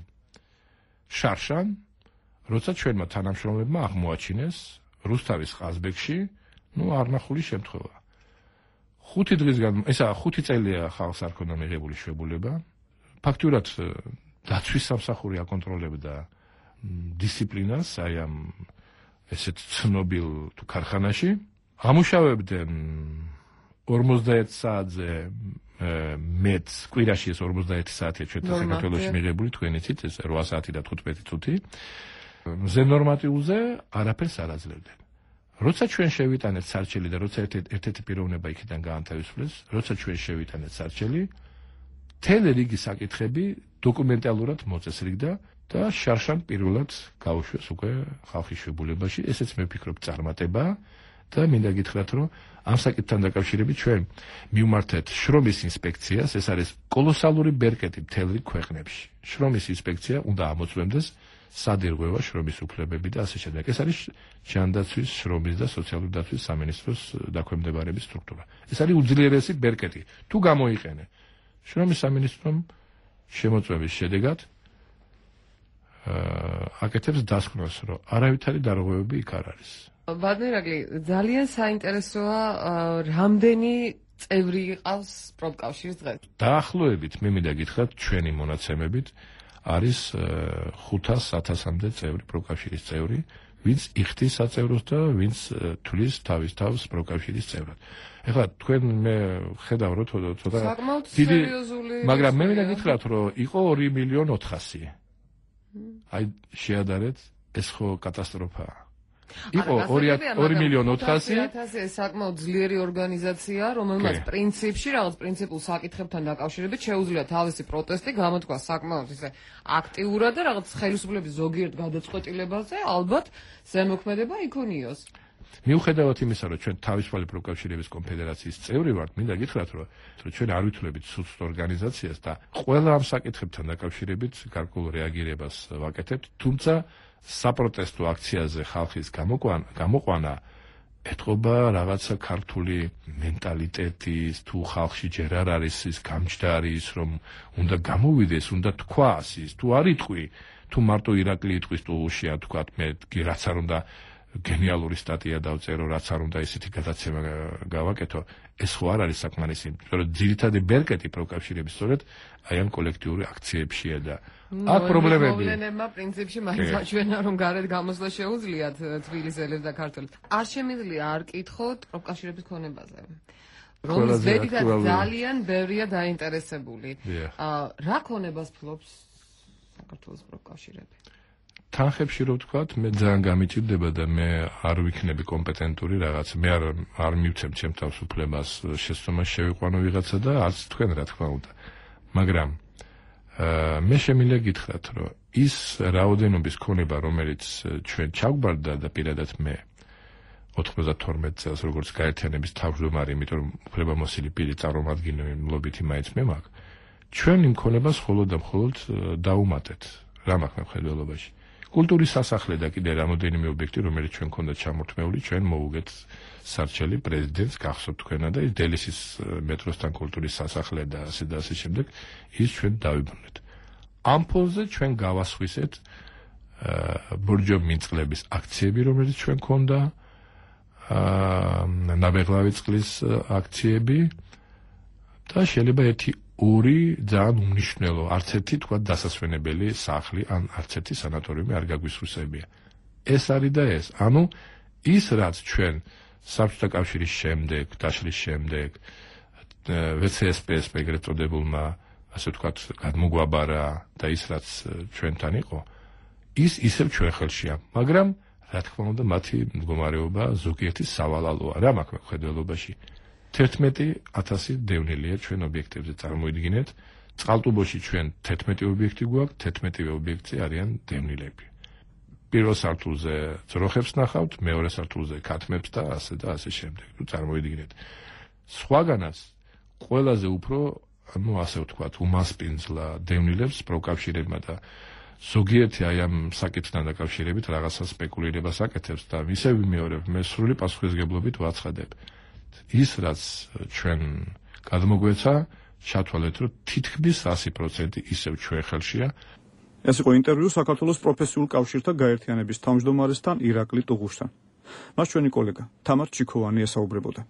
შარშან, როცა ჩვენმა თანამშრომლებმა აღმოაჩინეს რუსთავის ყაზბეგში, ну არნახული შემთხვევა. ხუთი დღის გან, ესა ხუთი წელია ხალხს არ ქონდა მიღებული შვებულება. ფაქტურად დაცვის სამსახური აკონტროლებდა დისციპლინას აი ამ ესეთ ცნობილ თუ ქარხანაში. ამუშავებდნენ ორმოცდაერთი საათზე მეც კვირაში ეს ორმოცდაერთი საათია ჩვენ საქართველოში მიღებული, თქვენ იცით ეს რვა საათი და თხუთმეტი წუთი. მზე ნორმატიულზე არაფერს არ აძლევდნენ. როცა ჩვენ შევიტანეთ სარჩელი და როცა ერთ-ერთი პიროვნება იქიდან გაანთავისუფლეს, როცა ჩვენ შევიტანეთ სარჩელი, მთელი რიგი საკითხები დოკუმენტალურად მოწესრიგდა და შარშან პირველად გაუშვეს უკვე ხალხის შვებულებაში. ესეც მე ვფიქრობ წარმატებაა და მინდა გითხრათ, რომ ამ საკითხთან დაკავშირებით ჩვენ მივმართეთ შრომის ინსპექციას, ეს არის კოლოსალური ბერკეტი მთელ რიგ ქვეყნებში. შრომის ინსპექცია უნდა ამოწმებდეს სად ირღვევა შრომის უფლებები და ასე შემდეგ. ეს არის ჯანდაცვის, შრომის და სოციალური დაცვის სამინისტროს დაქვემდებარების სტრუქტურა. ეს არის უძლიერესი ბერკეტი. თუ გამოიყენე შრომის სამინისტრომ შემოწმების შედეგად აკეთებს დასკვნას, რომ არავითარი დარღვევები იქ არ არის. ბადნერაკლი, ძალიან საინტერესოა, რამდენი წევრი იყავს პროფკავშირის დღეს? დაახლოებით, მე მინდა გითხრათ, ჩვენი მონაცემებით არის ხუთას ათასამდე წევრი პროფკავშირის წევრი, ვინც იხდის საწევროს და ვინც თulis თავის თავს პროფკავშირის წევრად. ეხლა თქვენ მე ხედავ რომ ცოტა დიდი, მაგრამ მე მინდა გითხრათ, რომ იყო ორი მილიონი ოთხასი. აი შეადარეთ, ეს ხო კატასტროფაა. იყო ორი მილიონი ოთხასი. ეს საკმაოდ ძლიერი ორგანიზაცია, რომელმაც პრინციპში რაღაც პრინციპულ საკითხებთან დაკავშირებით შეუძლია თავისი პროტესტი გამოთქვა საკმაოდ ისე აქტიურად და რაღაც ხელისუფლების ზოგიერთ გადაწყვეტილებაზე ალბათ ზემოქმედება იქონიოს. მიუხედავად იმისა, რომ ჩვენ თავისუფალი პროფკავშირების კონფედერაციის წევრი ვართ, მინდა გითხრათ, რომ ჩვენ არ ვითვლებით სუცთ ორგანიზაციას და ყველა ამ საკითხებთან დაკავშირებით გარკვეულ რეაგირებას ვაკეთებთ, თუმცა საპროტესტო აქციაზე ხალხის გამოყვანა ეთყობა რაღაცა ქართული მენტალიტეტის, თუ ხალხში ჯერ არ არის ის გამჯდარი ის, რომ უნდა გამოვიდეს, უნდა თქვას ის, თუ არ იტყვი, თუ მარტო ირაკლი იტყვის ტულუშია, თქვათ მე რაც არ უნდა გენიალური სტატია დავწერო, რაც არ უნდა ისეთი გადაცემა გავაკეთო, ეს ხო არ არის საკმარისი, იმიტომ რომ ძირითადი ბერკეტი პროფკავშირების სწორედ აი ამ კოლექტიური აქციებშია და აქ პრობლემები. მოვლენებმა პრინციპში მაინც აჩვენა, რომ გარეთ გამოსვლა შეუძლიათ თბილისელებს და ქართველებს. არ შემიძლია არ კითხოთ პროფკავშირების ქონებაზე. რომლის ბედითაც ძალიან ბევრია დაინტერესებული. რა ქონებას ფლობს საქართველოს პროფკავშირები? თანხებში რო ვთქვათ, მე ძალიან გამიჭირდება და მე არ ვიქნები კომპეტენტური რაღაც, მე არ არ მივცემ ჩემ თავს უფლებას შეცდომას შევიყვანო ვიღაცა და არც თქვენ რა თქმა უნდა. მაგრამ მე შემიძლია გითხრათ, რომ ის რაოდენობის ქონება, რომელიც ჩვენ ჩაგვბარდა და პირადად მე ოთხმოცდათორმეტ წელს როგორც გაერთიანების თავმჯდომარე, იმიტომ რომ უფლებამოსილი პირი წარმომადგენლობითი მაინც მე მაქვს, ჩვენ იმ ქონებას მხოლოდ და მხოლოდ დავუმატეთ რა მაქვს მხედველობაში. კულტურის სასახლე და კიდე რამოდენიმე ობიექტი, რომელიც ჩვენ ქონდა ჩამორთმეული, ჩვენ მოუგეთ სარჩელი პრეზიდენტს გახსოვთ თქვენა და ის დელისის მეტროსთან კულტურის სასახლე და ასე და ასე შემდეგ, ის ჩვენ დავიბრუნეთ. ამ ფონზე ჩვენ გავასხვისეთ ბორჯომინწყლების აქციები, რომელიც ჩვენ ქონდა, ნაბეღლავი წყლის აქციები და შეიძლება ერთი ორი ძალიან უმნიშვნელო, არც ერთი თქვა დასასვენებელი სახლი ან არც ერთი სანატორიუმი არ გაგვისხვისებია. ეს არის და ეს. ანუ ის რაც ჩვენ საბჭოთა კავშირის შემდეგ, დაშლის შემდეგ ვე ცე ეს პე ეს ეგრეთ წოდებულმა, ასე ვთქვათ, გადმოგვაბარა და ის რაც ჩვენთან იყო, ის ისევ ჩვენ ხელშია, მაგრამ რა თქმა უნდა მათი მდგომარეობა ზოგიერთი სავალალოა. რა მაქვს მხედველობაში? თერთმეტი ათასი დევნილია ჩვენ ობიექტებზე, წარმოიდგინეთ, წყალტუბოში ჩვენ თერთმეტი ობიექტი გვაქვს, თერთმეტივე ობიექტზე არიან დევნილები. პირველ სართულზე ძროხებს ნახავთ, მეორე სართულზე ქათმებს და ასე და ასე შემდეგ. თუ წარმოიდგინეთ. სხვაგანაც ყველაზე უფრო, ну, ასე ვთქვათ, უმასპინძლა დევნილებს პროკავშირებმა და ზოგიერთი აი ამ საკითხთან დაკავშირებით რაღაცა სპეკულირებას აკეთებს და ისევ ვიმეორებ, მე სრული პასუხისგებლობით ვაცხადებ. ის რაც ჩვენ გადმოგვეცა, ჩათვალეთ, რომ თითქმის ასი პროცენტი ისევ ჩვენ ხელშია. ეს იყო ინტერვიუ საქართველოს პროფესიულ კავშირთა გაერთიანების თავმჯდომარესთან ირაკლი ტუღუშთან. მას ჩვენი კოლეგა თამარ ჩიქოვანი ესაუბრებოდა.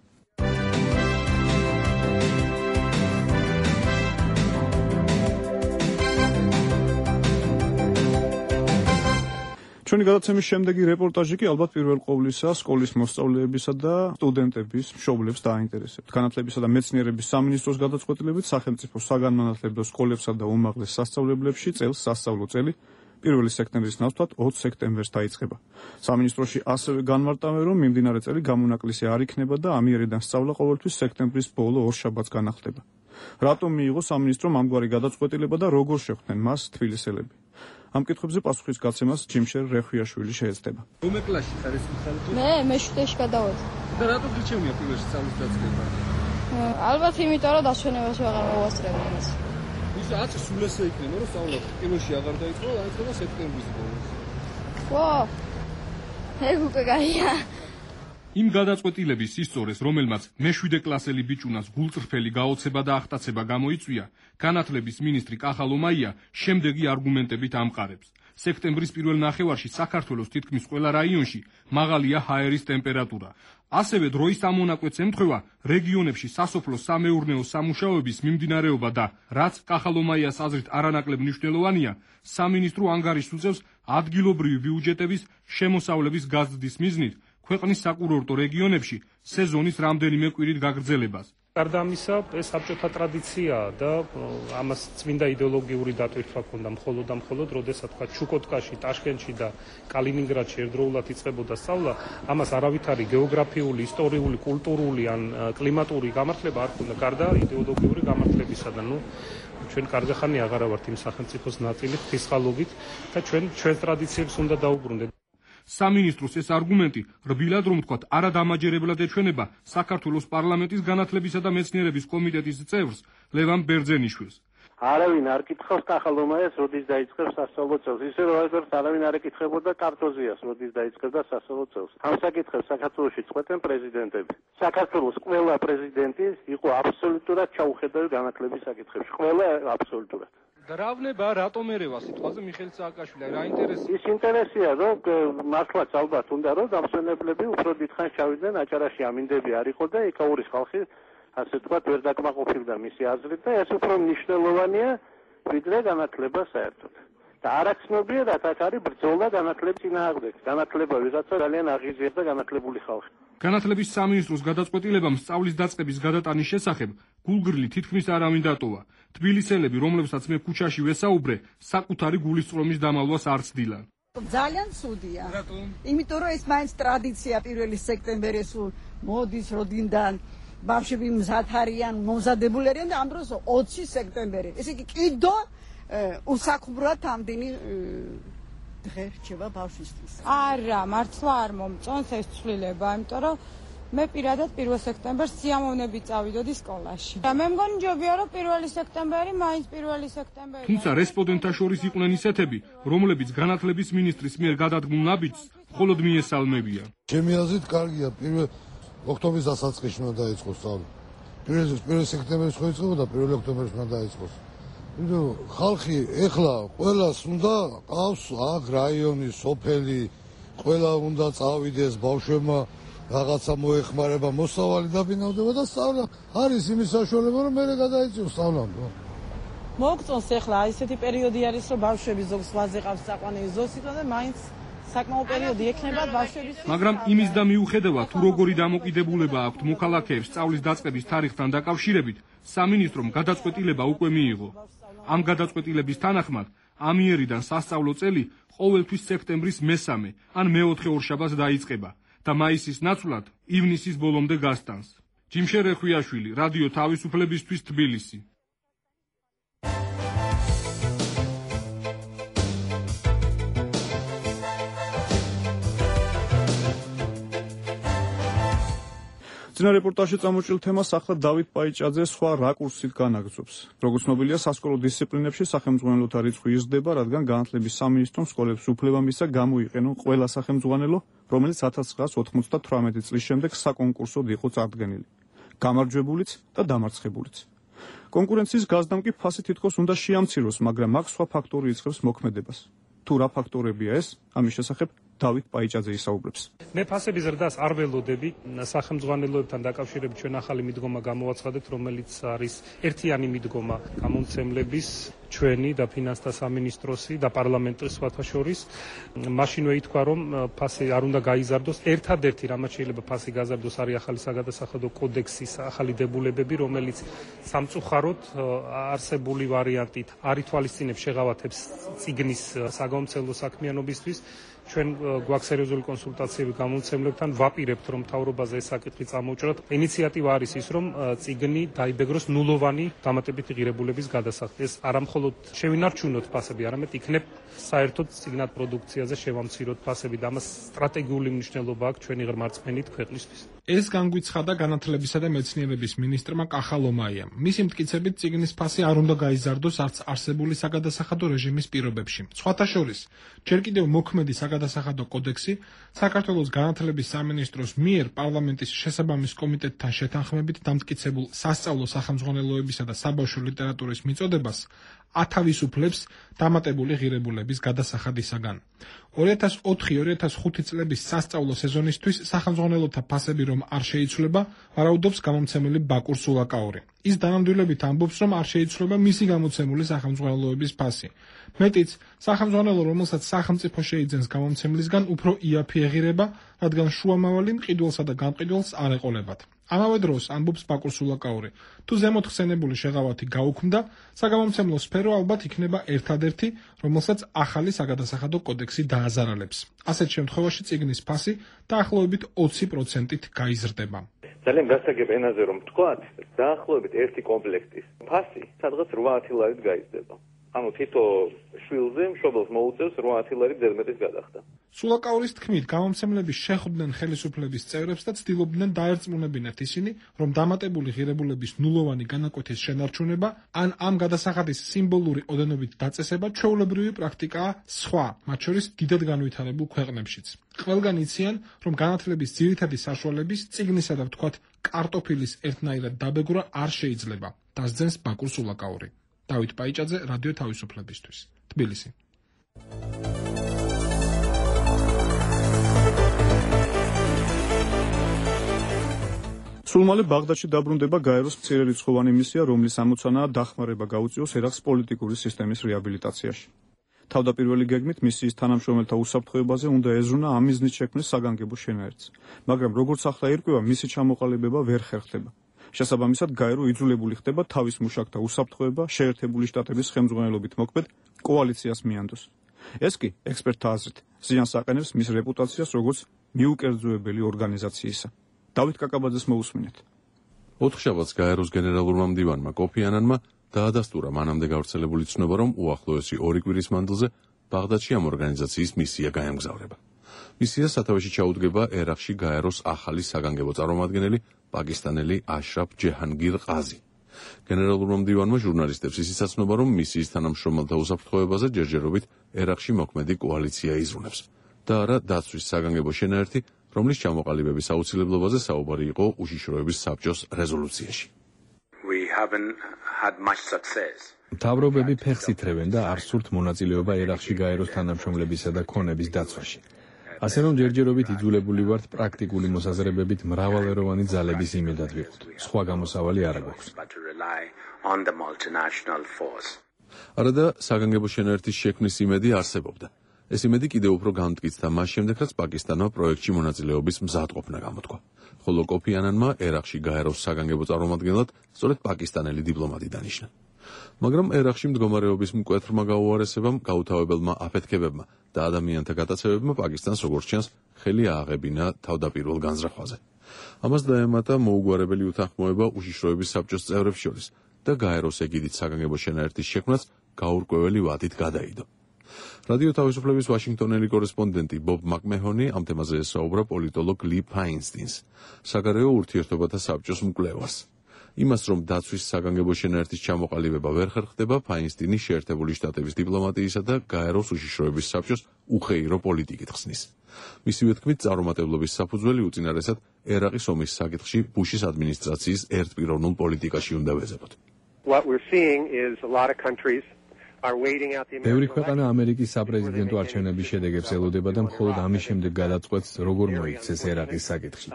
ჩვენი გადაცემის შემდეგი რეპორტაჟი კი ალბათ პირველ ყოვლისა სკოლის მოსწავლეებისა და სტუდენტების მშობლებს დააინტერესებთ. განათლებისა და მეცნიერების სამინისტროს გადაწყვეტილებით სახელმწიფო საგანმანათლებლო სკოლებსა და უმაღლეს სასწავლებლებში წელს სასწავლო წელი პირველი სექტემბრის ნაცვლად ოცი სექტემბერს დაიწყება. სამინისტროში ასევე განმარტავენ, რომ მიმდინარე წელი გამონაკლისი არ იქნება და ამიერიდან სწავლა ყოველთვის სექტემბრის ბოლო ორ შაბათს განახლდება. რატომ მიიღო სამინისტრომ ამგვარი გადაწყვეტილება და როგორ შეხვდნენ მას თბილისელები? ამ კითხვებზე პასუხის გაცემას ჯიმშერ რეხვიაშვილი შეეცდება. რომელ კლასში ხარ ეს მიხალით? მე მეშვიდეში გადავედი. და რატო გიჩვენია პირველში სწავლის დაწყება? ალბათ იმიტომ რომ დასვენებაში აღარ მოვასწრებდი მას. ისა ათი სულ ესე იქნება რომ სწავლა პირველში აღარ დაიწყო, დაიწყება სექტემბრის ბოლოს. ვა! ეგ უკვე გაია. იმ გადაწყვეტილების ისწორეს, რომელმაც მეშვიდე კლასელი ბიჭუნას გულწრფელი გაოცება და ახტაცება გამოიწვია, განათლების მინისტრი კახალო მაია შემდეგი არგუმენტებით ამყარებს. სექტემბრის პირველ ნახევარში საქართველოს თითქმის ყველა რაიონში მაღალია ჰაერის ტემპერატურა. ასევე დროის ამონაკვეთს ემთხვევა რეგიონებში სასოფლო-სამეურნეო სამუშაოების მიმდინარეობა და, რაც კახალო მაიას აზრით არანაკლებ მნიშვნელოვანია, სამინისტრო ანგარიშს უწევს ადგილობრივი ბიუჯეტების შემოსავლების გაზრდის მიზნით ქვეყნის საკურორტო რეგიონებში სეზონის რამდენიმე კვირით გაგრძელებას. გარდა ამისა, ეს საბჭოთა ტრადიციაა და ამას წმინდა იდეოლოგიური დატვირთვა ჰქონდა მხოლოდ და მხოლოდ, როდესაც თქვა ჩუკოტკაში, ტაშკენტში და კალინინგრადში ერთდროულად იწყებოდა სწავლა, ამას არავითარი გეოგრაფიული, ისტორიული, კულტურული ან კლიმატური გამართლება არ ჰქონდა, გარდა იდეოლოგიური გამართლებისა და ნუ ჩვენ კარგი ხანი აღარა ვართ იმ სახელმწიფოს ნაწილი ღვთისხალობით და ჩვენ ჩვენ ტრადიციებს უნდა დაუბრუნდეთ. სამინისტროს ეს არგუმენტი რბილად რომ ვთქვათ არადამაჯერებლად ეჩვენება საქართველოს პარლამენტის განათლებისა და მეცნიერების კომიტეტის წევრს ლევან ბერძენიშვილს. არავინ არ კითხავს კახალო მაიას, როდის დაიწყებს სასწავლო წელს. ისე რომ აღარ არავინ არ ეკითხებოდა კარტოზიას, როდის დაიწყებდა სასწავლო წელს. ამ საკითხებს საქართველოში წყვეტენ პრეზიდენტები. საქართველოს ყველა პრეზიდენტი იყო აბსოლუტურად ჩაუხედავი განათლების საკითხებში. ყველა აბსოლუტურად. და რა ვნება რატომ ერევა სიტყვაზე მიხეილ სააკაშვილი? რა ინტერესია? ის ინტერესია, რომ მართლაც ალბათ უნდა რომ დამსვენებლები უფრო დიდხანს ჩავიდნენ აჭარაში, ამინდები არ იყო და ეკაურის ხალხი ასე ვთქვათ ვერ დაკმაყოფილდა მისი აზრით და ეს უფრო მნიშვნელოვანია ვიდრე განათლება საერთოდ. და არაცნობიერად აქ არის ბრძოლა განათლების წინააღმდეგ. განათლება ვიღაცა ძალიან აღიზარდა განათლებული ხალხი. განათლების სამინისტროს გადაწყვეტილებამ სწავლის დაწყების გადატანის შესახებ გულგრილი თითქმის არავინ დატოვა. თბილისელები, რომლებსაც მე ქუჩაში ვესაუბრე, საკუთარი გულისწყრომის დამალვას არ ცდილან. ძალიან ცუდია. რატომ? იმიტომ რომ ეს მაინც ტრადიცია პირველი სექტემბერი სულ მოდის როდინდან ბავშვები მზად არიან, მომზადებული არიან და ამ დროს ოცი სექტემბერი. ესე იგი კიდო უსაქმრად ამდენი დღე რჩება ბავშვისთვის. არა, მართლა არ მომწონს ეს ცვლილება, იმიტომ რომ მე პირადად პირველ სექტემბერს სიამოვნებით წავიდოდი სკოლაში. მე მგონი ჯობია რომ პირველი სექტემბერი მაინც პირველი სექტემბერი. თუმცა რესპონდენტთა შორის იყვნენ ისეთები, რომლებიც განათლების მინისტრის მიერ გადადგმულ ნაბიჯს მხოლოდ მიესალმებიან. ჩემი აზრით კარგია, პირველ ოქტომბრის დასაწყისში უნდა დაიწყოს სწავლა. პირველ პირველ სექტემბერს ხო იწყებოდა, პირველ ოქტომბერს უნდა დაიწყოს. იმიტომ ხალხი ეხლა ყველას უნდა ყავს აქ რაიონი, სოფელი, ყველა უნდა წავიდეს ბავშვებმა რაღაცა მოეხმარება, მოსავალი დაბინავდება და სწავლა არის იმის საშუალება, რომ მე გადაიწიოს სწავლამდე. მოგწონს ახლა ისეთი პერიოდი არის, რომ ბავშვები ზოგს ვაზე ყავს საყვანელი ზოგს იტყვა და მაინც საკმაო პერიოდი ექნება ბავშვების. მაგრამ იმის და მიუხედავად, თუ როგორი დამოკიდებულება აქვთ მოქალაქეებს სწავლის დაწყების თარიღთან დაკავშირებით, სამინისტრომ გადაწყვეტილება უკვე მიიღო. ამ გადაწყვეტილების თანახმად, ამიერიდან სასწავლო წელი ყოველთვის სექტემბრის მესამე ან მეოთხე ორშაბათს დაიწყება და მაისის ნაცვლად ივნისის ბოლომდე გასტანს. ჯიმშე რეხვიაშვილი, რადიო თავისუფლებისთვის, თბილისი. წინა რეპორტაჟში წამოჭრილ თემას ახლა დავით პაიჭაძე სხვა რაკურსით განაგრძობს. როგორც ცნობილია, სასკოლო დისციპლინებში სახელმძღვანელოთა რიცხვი იზრდება, რადგან განათლების სამინისტრომ სკოლებს უფლება მისცა გამოიყენონ ყველა სახელმძღვანელო, რომელიც ათას ცხრაას ოთხმოცდათვრამეტი წლის შემდეგ საკონკურსოდ იყო წარდგენილი. გამარჯვებულიც და დამარცხებულიც. კონკურენციის გაზდამ კი ფასი თითქოს უნდა შეამციროს, მაგრამ აქ სხვა ფაქტორი იწყებს მოქმედებას. თუ რა ფაქტორებია ეს, ამის შესახებ დავით პაიჭაძე ისაუბრებს. მე ფასების ზრდას არ ველოდები. სახელმძღვანელოებთან დაკავშირებით ჩვენ ახალი მიდგომა გამოვაცხადეთ, რომელიც არის ერთიანი მიდგომა გამომცემლების, ჩვენი და ფინანსთა სამინისტროსი და პარლამენტის სხვათა შორის. მაშინვე ითქვა, რომ ფასი არ უნდა გაიზარდოს. ერთადერთი რამაც შეიძლება ფასი გაზარდოს არის ახალი საგადასახადო კოდექსის ახალი დებულებები, რომელიც სამწუხაროდ არსებული ვარიანტით არ ითვალისწინებს შეღავათებს წიგნის საგამომცემლო საქმიანობისთვის. ჩვენ გვაქვს სერიოზული კონსულტაციები გამომცემლებთან, ვაპირებთ, რომ მთავრობაზე ეს საკითხი წამოუჭრათ. ინიციატივა არის ის, რომ წიგნი დაიბეგროს ნულოვანი დამატებითი ღირებულების გადასახადით. ეს არა მხოლოდ შევინარჩუნოთ ფასები, არამედ იქნებ საერთოდ წიგნად პროდუქციაზე შევამციროთ ფასები და ამას სტრატეგიული მნიშვნელობა აქვს ჩვენი ღრმა რწმენით ქვეყნისთვის. ეს განგვიცხადა განათლებისა და მეცნიერების მინისტრმა კახალომაიამ. მისი მტკიცებით წიგნის ფასი არ უნდა გაიზარდოს არც არსებული საგადასახადო რეჟიმის პირობებში. სხვათა შორის, ჯერ კიდევ მოქმედი საგადასახადო კოდექსი საქართველოს განათლების სამინისტროს მიერ პარლამენტის შესაბამის კომიტეტთან შეთანხმებით დამტკიცებულ სასწავლო სახელმძღვანელოებისა და საბავშვო ლიტერატურის მიწოდებას ათავისუფლებს დამატებული ღირებულების გადასახადისაგან. ორი ათას ოთხი ორი ათას ხუთი წლების სასწავლო სეზონისთვის სახელმძღვანელოთა ფასები რომ არ შეიცვლება, ვარაუდობს გამომცემელი ბაკურ სულაკაური. ის დანამდვილებით ამბობს, რომ არ შეიცვლება მისი გამოცემული სახელმძღვანელოების ფასი. მეტიც, სახელმძღვანელო, რომელსაც სახელმწიფო შეიძენს გამომცემლისგან, უფრო იაფი ეღირება, რადგან შუამავალი მყიდველსა და გამყიდველს არ ეყოლებათ. ამავე დროს ამბობს ბაკურ სულაკაური, თუ ზემოთ ხსენებული შეღავათი გაუქმდა, საგამომცემლო სფერო ალბათ იქნება ერთადერთი, რომელსაც ახალი საგადასახადო კოდექსი დააზარალებს. ასეთ შემთხვევაში წიგნის ფასი დაახლოებით ოცი პროცენტით გაიზრდება. ძალიან გასაგებ ენაზე რომ ვთქვათ, დაახლოებით ერთი კომპლექტის ფასი სადღაც რვაათი ლარით გაიზრდება. ანუ თითო შვილზე მშობელს მოუწევს რვაათი ლარი ზედმეტის გადახდა. სულაკაურის თქმით, გამომცემლები შეხვდნენ ხელისუფლების წევრებს და ცდილობდნენ დაერწმუნებინათ ისინი, რომ დამატებული ღირებულების ნულოვანი განაკვეთის შენარჩუნება ან ამ გადასახადის სიმბოლური ოდენობით დაწესება ჩვეულებრივი პრაქტიკაა სხვა, მათ შორის დიდად განვითარებულ ქვეყნებშიც. ყველგან იციან, რომ განათლების ძირითადი საშუალების წიგნისა და ვთქვათ კარტოფილის ერთნაირად დაბეგრვა არ შეიძლება. დასძენს ბაკურ სულაკაური. დავით პაიჭაძე, რადიო თავისუფლებისთვის, თბილისი. სულ მალე ბაღდადში დაბრუნდება გაეროს მცირერიცხოვანი მისია, რომლის ამოცანაა დახმარება გაუწიოს ერაყს პოლიტიკური სისტემის რეაბილიტაციაში. თავდაპირველი გეგმით მისიის თანამშრომელთა უსაფრთხოებაზე უნდა ეზრუნა ამ მიზნით შექმნეს საგანგებო შენაერთს, მაგრამ როგორც ახლა ირკვევა, მისი ჩამოყალიბება ვერ ხერხდება. შესაბამისად, გაერო იძულებული ხდება თავის მუშაკთა უსაფრთხოება შეერთებული შტატების ხელმძღვანელობით მოქმედ კოალიციას მიანდოს. ეს კი, ექსპერტთა აზრით, ზიანს აყენებს მის რეპუტაციას როგორც მიუკერძოებელი ორგანიზაციისა. დავით კაკაბაძეს მოусმინეთ. ოთხშაბათს გაეროს გენერალურმა მდივანმა კოფი ანანმა დაადასტურა მანამდე გავრცელებული ცნობა, რომ უახლოესი ორი კვირის მანძილზე ბაღდადში ამ ორგანიზაციის მისია გაემგზავრება. მისია სათავეში ჩაუდგება ერაყში გაეროს ახალი საგანგებო წარმომადგენელი პაკისტანელი აშრაფ ჯეჰანგირ ყაზი. გენერალურმა მდივანმა ჟურნალისტებს ისიც აცნობა, რომ მისიის თანამშრომელთა უსაფრთხოებაზე ჯერჯერობით ერაყში მოქმედი კოალიცია იზრუნებს და არა დაცვის საგანგებო შენაერთი, რომლის ჩამოყალიბების აუცილებლობაზე საუბარი იყო უშიშროების საბჭოს რეზოლუციაში. We haven't had much success. მთავრობები ფეხს ითრევენ და არ სურთ მონაწილეობა ერაყში გაეროს თანამშრომლებისა და ქონების დაცვაში. ასე რომ ჯერჯერობით იძულებული ვართ პრაქტიკული მოსაზრებებით მრავალეროვანი ძალების იმედად ვიყოთ. სხვა გამოსავალი არ აქვს. არადა საგანგებო შენაერთის შექმნის იმედი არსებობდა. ეს იმედი კიდევ უფრო განმტკიცდა მას შემდეგ, რაც პაკისტანმა პროექტში მონაწილეობის მზადყოფნა გამოთქვა. ხოლო კოფი ანანმა ერაყში გაეროს საგანგებო წარმომადგენლად სწორედ პაკისტანელი დიპლომატი დანიშნა. მაგრამ ერაყში მდგომარეობის მკვეთრმა გაუარესებამ, გაუთავებელმა აფეთქებებმა და ადამიანთა გატაცებებმა პაკისტანს როგორც ჩანს ხელი ააღებინა თავდაპირველ განზრახვაზე. ამას დაემატა მოუგვარებელი უთანხმოება უშიშროების საბჭოს წევრებს შორის და გაეროს ეგიდით საგანგებო შენაერთის შექმნაც გაურკვეველი ვადით გადაიდო. რადიო თავისუფლების ვაშინგტონელი კორესპონდენტი ბობ მაკმეჰონი ამ თემაზე ესაუბრა პოლიტოლოგ ლი ფაინსტინს, საგარეო ურთიერთობათა საბჭოს მკვლევარს. იმას, რომ დაცვის საგანგებო შენაერთის ჩამოყალიბება ვერ ხერხდება, ფაინსტინი შეერთებული შტატების დიპლომატიისა და გაეროს უშიშროების საბჭოს უხეირო პოლიტიკით ხსნის. მისივე თქმით, წარუმატებლობის საფუძველი უწინარესად ერაყის ომის საკითხში ბუშის ადმინისტრაციის ერთპიროვნულ პოლიტიკაში უნდა ვეზებოთ. What we're seeing is a lot of countries ბევრი ქვეყანა ამერიკის საპრეზიდენტო არჩევნების შედეგებს ელოდება და მხოლოდ ამის შემდეგ გადაწყვეტს, როგორ მოიქცეს ერაყის საკითხში.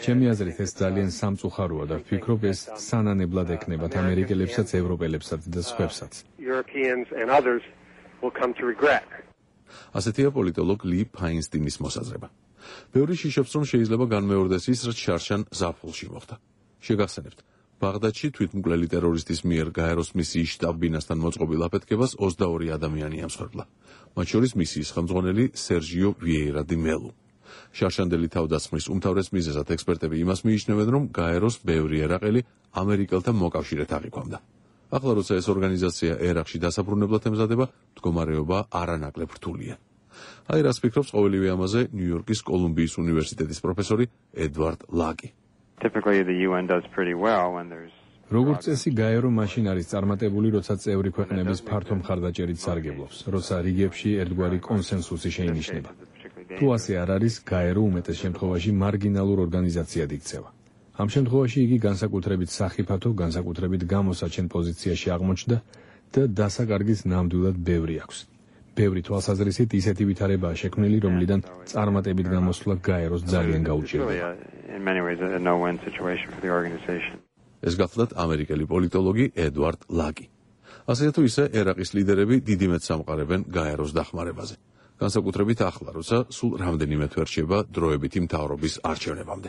ჩემი აზრით, ეს ძალიან სამწუხაროა და ვფიქრობ, ეს სანანებლად ექნებათ ამერიკელებსაც, ევროპელებსაც და სხვებსაც. ასეთია პოლიტოლოგ ლი ფაინსტინის მოსაზრება. ბევრი შიშობს, რომ შეიძლება განმეორდეს ის, რაც შარშან ზაფხულში მოხდა. შეგახსენებთ, ბაღდადში თვითმკვლელი ტერორისტის მიერ გაეროს მისიის შტაბ-ბინასთან მოწყობილ აფეთქებას ოცდაორი ადამიანი ამსხვერპლა, მათ შორის მისიის ხელმძღვანელი სერჟიო ვიეირა დი მელუ. შარშანდელი თავდასხმის უმთავრეს მიზეზად ექსპერტები იმას მიიჩნევენ, რომ გაეროს ბევრი ერაყელი ამერიკელთა მოკავშირედ აღიქვამდა. ახლა როცა ეს ორგანიზაცია ერაყში დასაბრუნებლად ემზადება, მდგომარეობა არანაკლებ რთულია. აი რას ფიქრობს ყოველივე ამაზე ნიუ-იორკის კოლუმბიის უნივერსიტეტის პროფესორი ედვარდ ლაკი. Typically the U N does pretty well when there's როგორც წესი გაერო მაშინ არის წარმატებული, როცა წევრი ქვეყნების ფართო მხარდაჭერით სარგებლობს, როცა რიგებში ერთგვარი კონსენსუსი შეინიშნება. თუ ასე არ არის, გაერო უმეტეს შემთხვევაში მარგინალურ ორგანიზაციად იქცევა. ამ შემთხვევაში იგი განსაკუთრებით სახიფათო, განსაკუთრებით გამოსაჩენ პოზიციაში აღმოჩნდა და დასაკარგის ნამდვილად ბევრი აქვს. ბევრი თვალსაზრისით ისეთი ვითარებაა შექმნილი, რომლიდან წარმატებით გამოსვლა გაეროს ძალიან გაუჭირდება. ეს გახლდათ ამერიკელი პოლიტოლოგი ედვარდ ლაკი. ასე თუ ისე ერაყის ლიდერები დიდი მეტს ამყარებენ გაეროს დახმარებაზე. განსაკუთრებით ახლა, როცა სულ რამდენიმე თვე რჩება დროებითი მთავრობის არჩევნებამდე.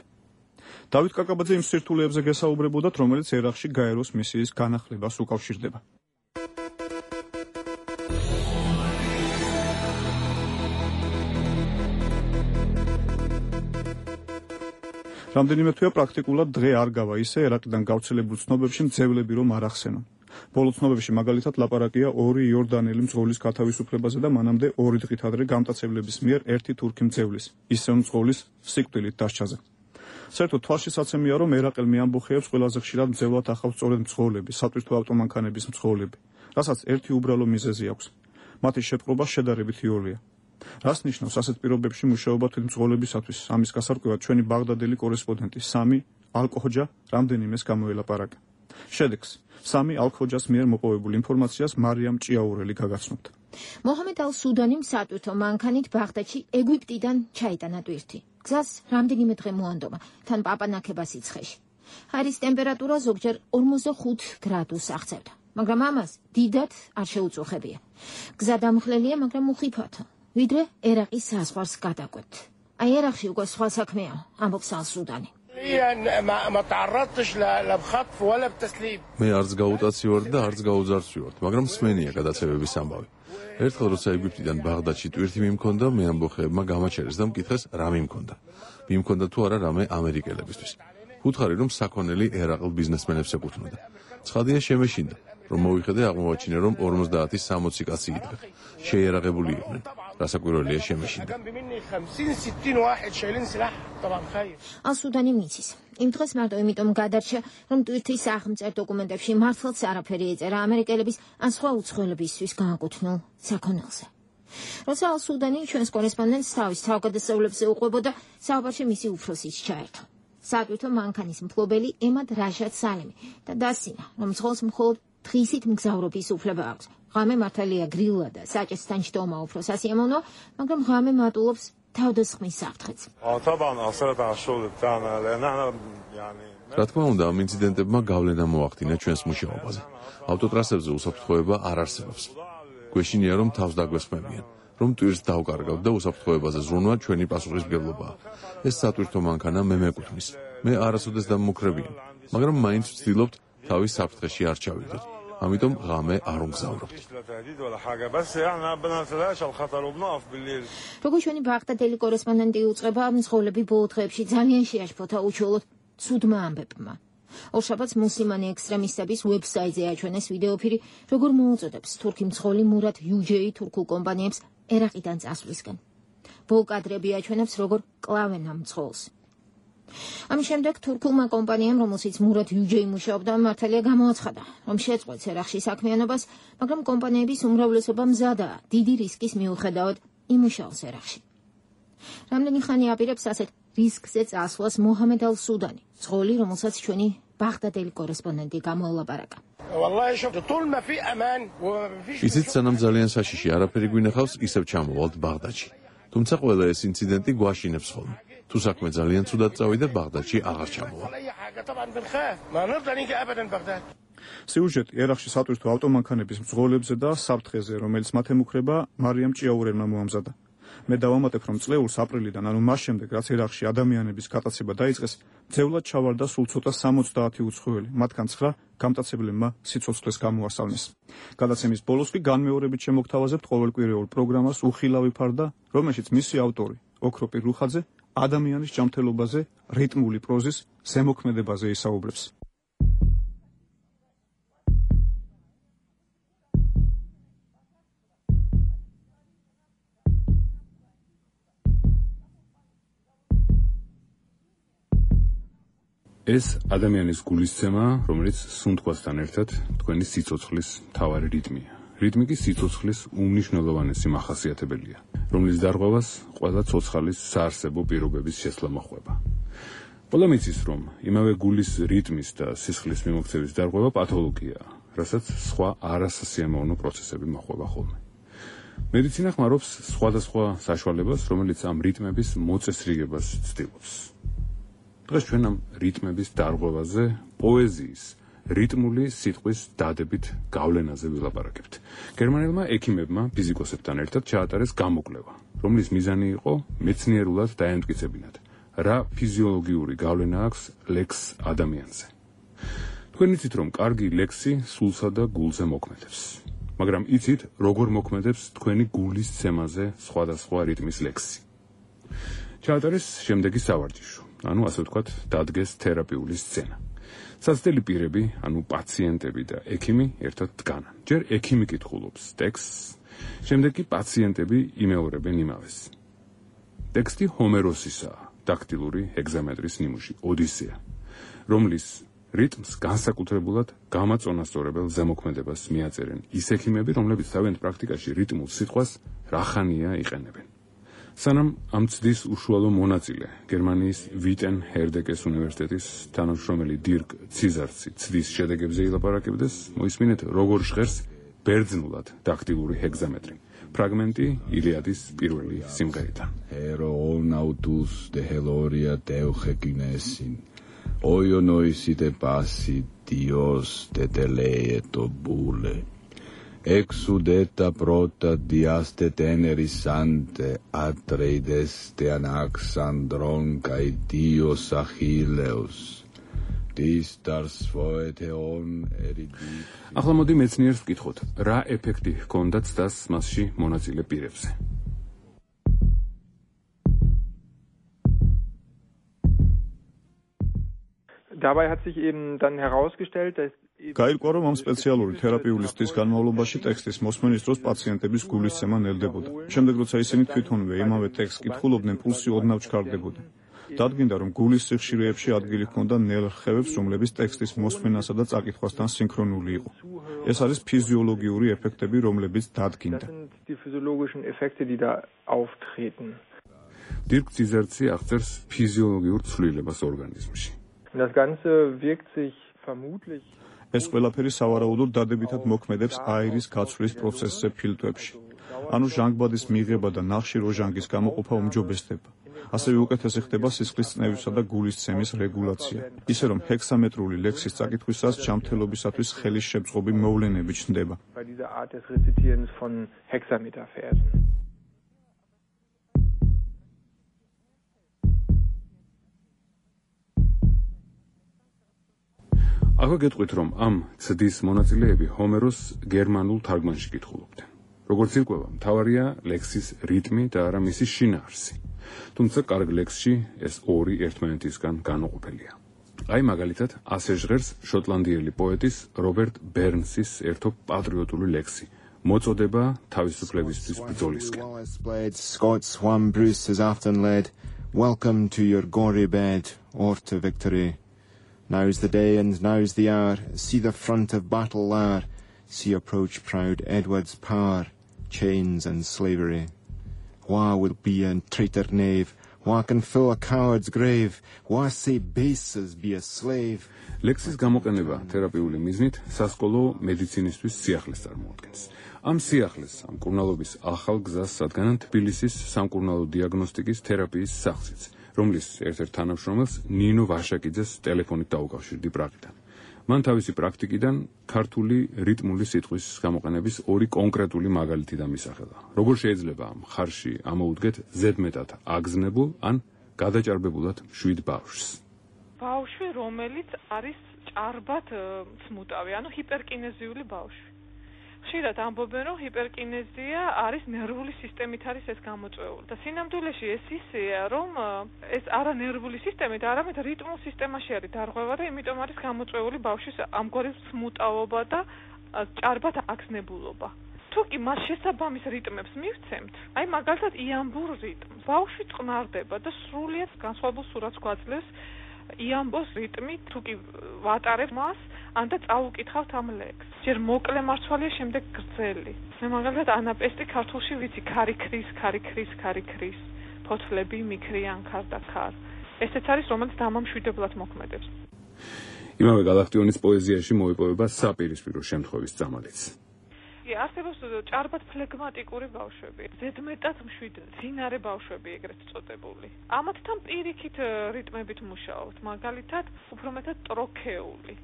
დავით კაკაბაძე იმ სირთულეებზე გესაუბრებოდათ, რომელიც ერაყში გაეროს მისიის განახლებას უკავშირდება. რამდენიმე თვეა პრაქტიკულად დღე არ გავა ისე ერაყიდან გავრცელებულ ცნობებში მძევლები რომ არ ახსენონ. ბოლო ცნობებში მაგალითად ლაპარაკია ორი იორდანელი მძღოლის გათავისუფლებაზე და მანამდე ორი დღით ადრე გამტაცებლების მიერ ერთი თურქი მძევლის, ისევ მძღოლის სიკვდილით დასჯაზე. საერთოდ თვალშისაცემია, რომ ერაყელმი ამბოხეებს ყველაზე ხშირად მძევლად ახავს სწორედ მძღოლები, სატვირთო ავტომანქანების მძღოლები, რასაც ერთი უბრალო მიზეზი აქვს. მათი შეტყობა შედარებით იოლია. რას ნიშნავს ასეთ პირობებში მუშაობა თვითმძღოლებისათვის? ამის გასარკვევად ჩვენი ბაღდადელი კორესპონდენტი სამი ალ-ქოჯა რამდენიმეს გამოელაპარაკა. შედეგს სამი ალ-ქოჯას მიერ მოპოვებულ ინფორმაციას მარიამ ჭიაურელი გაგაცნობთ. მოჰამედ ალ-სუდანიმ სატვირთო მანქანით ბაღდადში ეგვიპტიდან ჩაიტანა ტვირთი. გზას რამდენიმე დღე მოანდომა, თან პაპანაკება სიცხეში. ჰაერის ტემპერატურა ზოგჯერ ორმოცდახუთ გრადუსს აღწევდა, მაგრამ ამას დიდად არ შეუწუხებია. გზა დამხლელია, მაგრამ უხიფათო. ვიდრე ერაყის საზღვარს გადაკვეთ. აი ერაყში უკვე სხვა საქმეა, ამბობს ალ-სუდანი. მე არც გაუტაცი ვარ და არც გაუძარცვი ვარ, მაგრამ სმენია გადაცევების ამბავი. ერთხელ როცა ეგვიპტიდან ბაღდადში ტვირთი მიმქონდა, მე ამბოხეებმა გამაჩერეს და მკითხეს რა მიმქონდა. მიმქონდა თუ არა რამე ამერიკელებისთვის. უთხარი რომ საქონელი ერაყელ ბიზნესმენებს ეკუთვნოდა. ცხადია შემეშინდა, რომ მოვიხედე აღმოაჩინე რომ ორმოცდაათი სამოცი კაცი იდგა. შეიარაღებული იყვნენ. რასაკვირველია შემეშინდა. ალ-სუდანი მიცის. იმ დღეს მარტო იმიტომ გადარჩა, რომ ტვირთის აღმწერ დოკუმენტებში მართლაც არაფერი ეწერა ამერიკელების ან სხვა უცხოელებისთვის გააკუთვნილ საქონელზე. როცა ალ-სუდანი ჩვენს კორესპონდენტს თავის თავგადასავლებზე უყვებოდა, საუბარში მისი უფროსიც ჩაერთო. სატვირთო მანქანის მფლობელი ემად რაშად სალიმი და დასცინა, რომ მძღოლს მხოლოდ დღისით მგზავრობის უფლება აქვს. ღამე მართალია გრილა და საჭეს თანჯდომა უფრო სასიამოვნოა, მაგრამ ღამე მატულობს თავდასხმის საფრთხეც. რა თქმა უნდა, ამ ინციდენტებმა გავლენა მოახდინა ჩვენს მუშაობაზე. ავტოტრასებზე უსაფრთხოება არ არსებობს. გვეშინია, რომ თავს დაგვესხმებიან, რომ ტვირს დავკარგავ და უსაფრთხოებაზე ზრუნვა ჩვენი პასუხისმგებლობაა. ეს სატვირთო მანქანა მე მეკუთვნის. მე არასოდეს დამმუქრებიან, მაგრამ მაინც ვცდილობთ თავის საფრთხეში არ ჩავიდოთ. ამიტომ ღამე არ უმგზავრობთ. როგორც ჩვენი ბაღდადელი კორესპონდენტი უწყება, მძღოლები ბოლო დღეებში ძალიან შეაშფოთა უჩვეულოდ ცუდმა ამბებმა. ორშაბათს მუსლიმანი ექსტრემისტების ვებსაიტზე აჩვენეს ვიდეოფირი, როგორ მოუწოდებს თურქი მძღოლი მურად იუჯეი თურქულ კომპანიებს ერაყიდან წასვლისკენ. ბოლო კადრები აჩვენებს, როგორ კლავენ ამ მძღოლს. ამის შემდეგ თურქულმა კომპანიამ, რომელშიც მურად იუჯეი მუშაობდა, მართალია გამოაცხადა, რომ შეწყვეტს ერაყში საქმიანობას, მაგრამ კომპანიების უმრავლესობა მზადაა დიდი რისკის მიუხედავად იმუშაოს ერაყში. რამდენი ხანი აპირებს ასეთ რისკზე წასვლას მოჰამედ ალ-სუდანი, მძღოლი, რომელსაც ჩვენი ბაღდადელი კორესპონდენტი გამოელაპარაკა. ისიც სანამ ძალიან საშიში არაფერი გვინახავს, ისევ ჩამოვალთ ბაღდადში. თუმცა ყველა ეს ინციდენტი გვაშინებს ხოლმე. თუ საქმე ძალიან ცუდად წავიდა, ბაღდადში აღარ ჩამოვალ. სიუჟეტი ერაყში სატვირთო ავტომანქანების მძღოლებზე და საფრთხეზე, რომელიც მათ ემუქრება, მარიამ ჭიაურენმა მოამზადა. მე დავამატებ, რომ წლეულს აპრილიდან, ანუ მას შემდეგ, რაც ერაყში ადამიანების გატაცება დაიწყეს, ძევლად ჩავარდა სულ ცოტა სამოცდაათი უცხოელი, მათგან ცხრა გამტაცებლებმა სიცოცხლეს გამოასალმეს. გადაცემის ბოლოს კი განმეორებით შემოგთავაზებთ ყოველკვირეულ პროგრამას უხილავი ფარდა, რომელშიც მისი ავტორი, ოქროპი რუხაძე, ადამიანის ჯანმრთელობაზე, რიტმული პროზის ზემოქმედებაზე ისაუბრებს. ეს ადამიანის გულისცემა, რომელიც სუნთქვასთან ერთად თქვენი სიცოცხლის მთავარი რიტმია. რიტმი კი სიცოცხლის უმნიშვნელოვანესი მახასიათებელია, რომლის დარღვევას ყველა ცოცხალის საარსებო პირობების შესვლა მოჰყვება. ყველა მიცის, რომ იმავე გულის რიტმის და სისხლის მიმოქცევის დარღვევა პათოლოგიაა, რასაც სხვა არასასიამოვნო პროცესები მოჰყვება ხოლმე. მედიცინა ხმარობს სხვადასხვა საშუალებას, რომელიც ამ რიტმების მოწესრიგებას ცდილობს. დღეს ჩვენ ამ რიტმების დარღვევაზე, პოეზიის, რიტმული სიტყვის დადებით გავლენაზე ვილაპარაკებთ. გერმანელმა ექიმებმა ფიზიკოსებთან ერთად ჩაატარეს გამოკვლევა, რომლის მიზანი იყო მეცნიერულად დაემტკიცებინათ, რა ფიზიოლოგიური გავლენა აქვს ლექს ადამიანზე. თქვენ იცით, რომ კარგი ლექსი სულსა და გულზე მოქმედებს, მაგრამ იცით, როგორ მოქმედებს თქვენი გულის ცემაზე სხვადასხვა რიტმის ლექსი. ჩაატარეს შემდეგი სავარჯიშო, ანუ ასე ვთქვათ, დადგეს თერაპიული სცენა. საცდელი პირები, ანუ პაციენტები და ექიმი ერთად დგანან. ჯერ ექიმი კითხულობს ტექსტს, შემდეგ კი პაციენტები იმეორებენ იმავეს. ტექსტი ჰომეროსისაა, დაქტილური ჰეგზამეტრის ნიმუში, ოდისეა, რომლის რიტმს განსაკუთრებულად გამაწონასწორებელ ზემოქმედებას მიაწერენ ის ექიმები, რომლებიც თავიანთ პრაქტიკაში რიტმულ სიტყვას რახანია იყენებენ. სანამ ამ ცდის უშუალო მონაწილე, გერმანიის ვიტენ ჰერდეკეს უნივერსიტეტის თანამშრომელი დირკ ციზარცი ცდის შედეგებზე ილაპარაკებდეს, მოისმინეთ, როგორ ჟღერს ბერძნულად დაქტილური ჰეგზამეტრი. ფრაგმენტი ილიადის პირველი სიმღერიდან. Aeronautus de Heloria teuchekinesin, oionoisite passi Dios de teleeto bule. Exudeta prota diaste teneris ante atreides te anaxandron kai dios Achilleus. Distars foeteon eridi. ახლა მოდი მეცნიერს ვკითხოთ, რა ეფექტი ჰქონდა ცდას მასში მონაწილე პირებზე. Dabei hat sich eben dann herausgestellt, dass გაირკვა, რომ ამ სპეციალური თერაპიული ცდის განმავლობაში ტექსტის მოსმენის დროს პაციენტების გულისცემა ნელდებოდა. შემდეგ, როცა ისინი თვითონვე იმავე ტექსტს კითხულობდნენ, პულსი ოდნავ ჩქარდებოდა. დადგინდა, რომ გულის სიხშირეებში ადგილი ჰქონდა ნერვხევებს, რომლებიც ტექსტის მოსმენასა და წაკითხვასთან სინქრონული იყო. ეს არის ფიზიოლოგიური ეფექტები, რომლებიც დადგინდა. დირკ ციზერცი აღწერს ფიზიოლოგიურ ცვლილებას ორგანიზმში. Das Ganze wirkt sich vermutlich ეს ყველაფერი სავარაუდოდ დადებითად მოქმედებს აირის გაცვლის პროცესზე ფილტვებში. ანუ ჟანგბადის მიღება და ნახშირ ოჟანგის გამოყოფა უმჯობესდება. ასევე უკეთესი ხდება სისხლის წნევისა და გულისცემის რეგულაცია. ისე რომ ჰექსამეტრული ლექსის წაკითხვისას ჯანმრთელობისათვის ხელის შეწყობი მოვლენები ჩნდება. bei dieser Art des Rezitierens von Hexameterversen. ახლა გეტყვით, რომ ამ ცდის მონაწილეები ჰომეროს გერმანულ თარგმანში კითხულობდნენ. როგორც ირკვევა, მთავარია ლექსის რიტმი და არა მისი შინაარსი. თუმცა კარგ ლექსში ეს ორი ერთმანეთისგან განუყოფელია. აი მაგალითად, ასე ჟღერს შოტლანდიელი პოეტის რობერტ ბერნსის ერთო პატრიოტული ლექსი, მოწოდება თავისუფლებისთვის ბრძოლისკენ. Scots one Bruce has often led, welcome to your gory bed, or to victory. Now's the day and now's the hour, see the front of battle lower, see approach proud Edward's power, chains and slavery. Wha will be a traitor knave, wha can fill a coward's grave, wha say base as be a slave. ლექსის გამოყენება თერაპიული მიზნით სასკოლო მედიცინისთვის სიახლეს წარმოადგენს. ამ სიახლეს ამ კურნალობის ახალ გზას სადგანან თბილისის სამკურნალო დიაგნოსტიკის თერაპიის სახლიც, რომლის ერთ-ერთ თანამშრომელს ნინო ვაშაკიძეს ტელეფონით დაუკავშირდი პრაღიდან. მან თავისი პრაქტიკიდან ქართული რიტმული სიტყვის გამოყენების ორი კონკრეტული მაგალითი დამისახელა. როგორ შეიძლება მხარში ამოუდგეთ ზედმეტად აგზნებულ ან გადაჭარბებულად მშვიდ ბავშვს. ბავშვი, რომელიც არის ჭარბად ცმუტავი, ანუ ჰიპერკინეზიული ბავშვი. ხშირად ამბობენ, რომ ჰიპერკინეზია არის ნერვული სისტემით არის ეს გამოწვეული. და სინამდვილეში ეს ისეა, რომ ეს არა ნერვული სისტემით, არამედ რიტმულ სისტემაში არის დარღვევა და იმიტომ არის გამოწვეული ბავშვის ამგვარი ცმუტავობა და ჭარბად აგზნებულობა. თუ კი მას შესაბამის რიტმებს მივცემთ, აი მაგალითად იამბურ რიტმს, ბავშვი წყნარდება და სრულიად განსხვავებულ სურათს გვაძლევს იამბოს რიტმი, თუ კი ვატარებ მას, ან და წავუკითხავთ ამ ლექსს. ჯერ მოკლე მარცვალია, შემდეგ გრძელი. მე მაგალითად ანაპესტი ქართულში ვიცი, ქარი ქრის, ქარი ქრის, ქარი ქრის, ფოთლები მიქრიან ქარ და ქარ. ესეც არის, რომელიც დამამშვიდებლად მოქმედებს. იმავე გალაქტიონის პოეზიაში მოიპოვება საპირისპირო შემთხვევის წამალიც. არსებობს ჭარბად ფლეგმატიკური ბავშვები, ზედმეტად მშვიდ, ძინარე ბავშვები ეგრეთ წოდებული. ამათთან პირიქით რიტმებით მუშაობთ, მაგალითად, უფრო მეტად ტროქეული.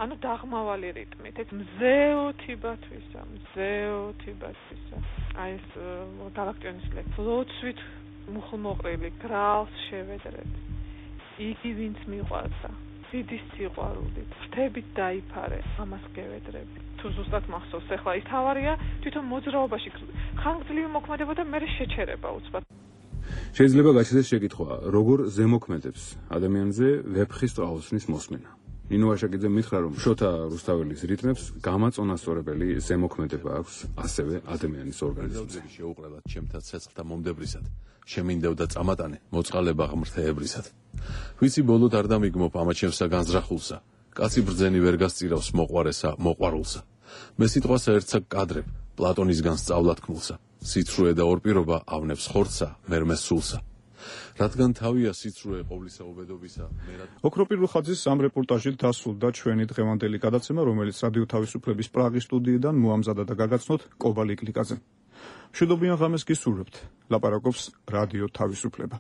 ანუ დაღმავალი რიტმით, ეს მზეოთი ბათვისა, მზეოთი ბათვისა. აი ეს გალაქტიონის ლექსი. ლოცვით მუხლმოყრილი, გრალს შევედრეთ. იგი ვინც მიყვარდა, დიდი სიყვარულით, ფრთებით დაიფარე, ამას გევედრები. თუ ზუსტად მახსოვს, ახლა ის თავარია თვითონ მოძრაობაში ხანგრძლივი მოქმედება და მე შეჩერება უცბად. შეიძლება გაჩნდეს შეკითხვა, როგორ ზემოქმედებს ადამიანზე ვეფხის ტყაოსნის მოსმენა. ნინო ვაშაკიძე მითხრა, რომ შოთა რუსთაველის რიტმებს გამაწონასწორებელი ზემოქმედება აქვს ასევე ადამიანის ორგანიზმზე. შეუყრელად ჩემთა ცეცხლთა მომდებრისად, შემინდევდა წამატანე მოწყალება ღმრთეებრისად. ვიცი ბოლოდ არ დამიგმობ ამათ ჩემსა განზრახულსა, კაცი ბრძენი ვერ გასწირავს მოყვარესა მოყვარულსა. მე სიტყვასა ერთსა კადრებ, პლატონისგან სწავლად ქმულსა, სიცრუე და ორპირობა ავნებს ხორცსა, მერმეს სულსა. რადგან თავია სიცრუე ყოვლისა უბედობისა, მერად ოქროპირ ხაძის ამ რეპორტაჟით დასრულდა ჩვენი დღევანდელი გადაცემა, რომელიც რადიო თავისუფლების პრაღის სტუდიიდან მოამზადა და გაგაცნოთ კობალიკ ლიკაძემ. მშვიდობიან ღამეს გისურვებთ. ლაპარაკობს რადიო თავისუფლება.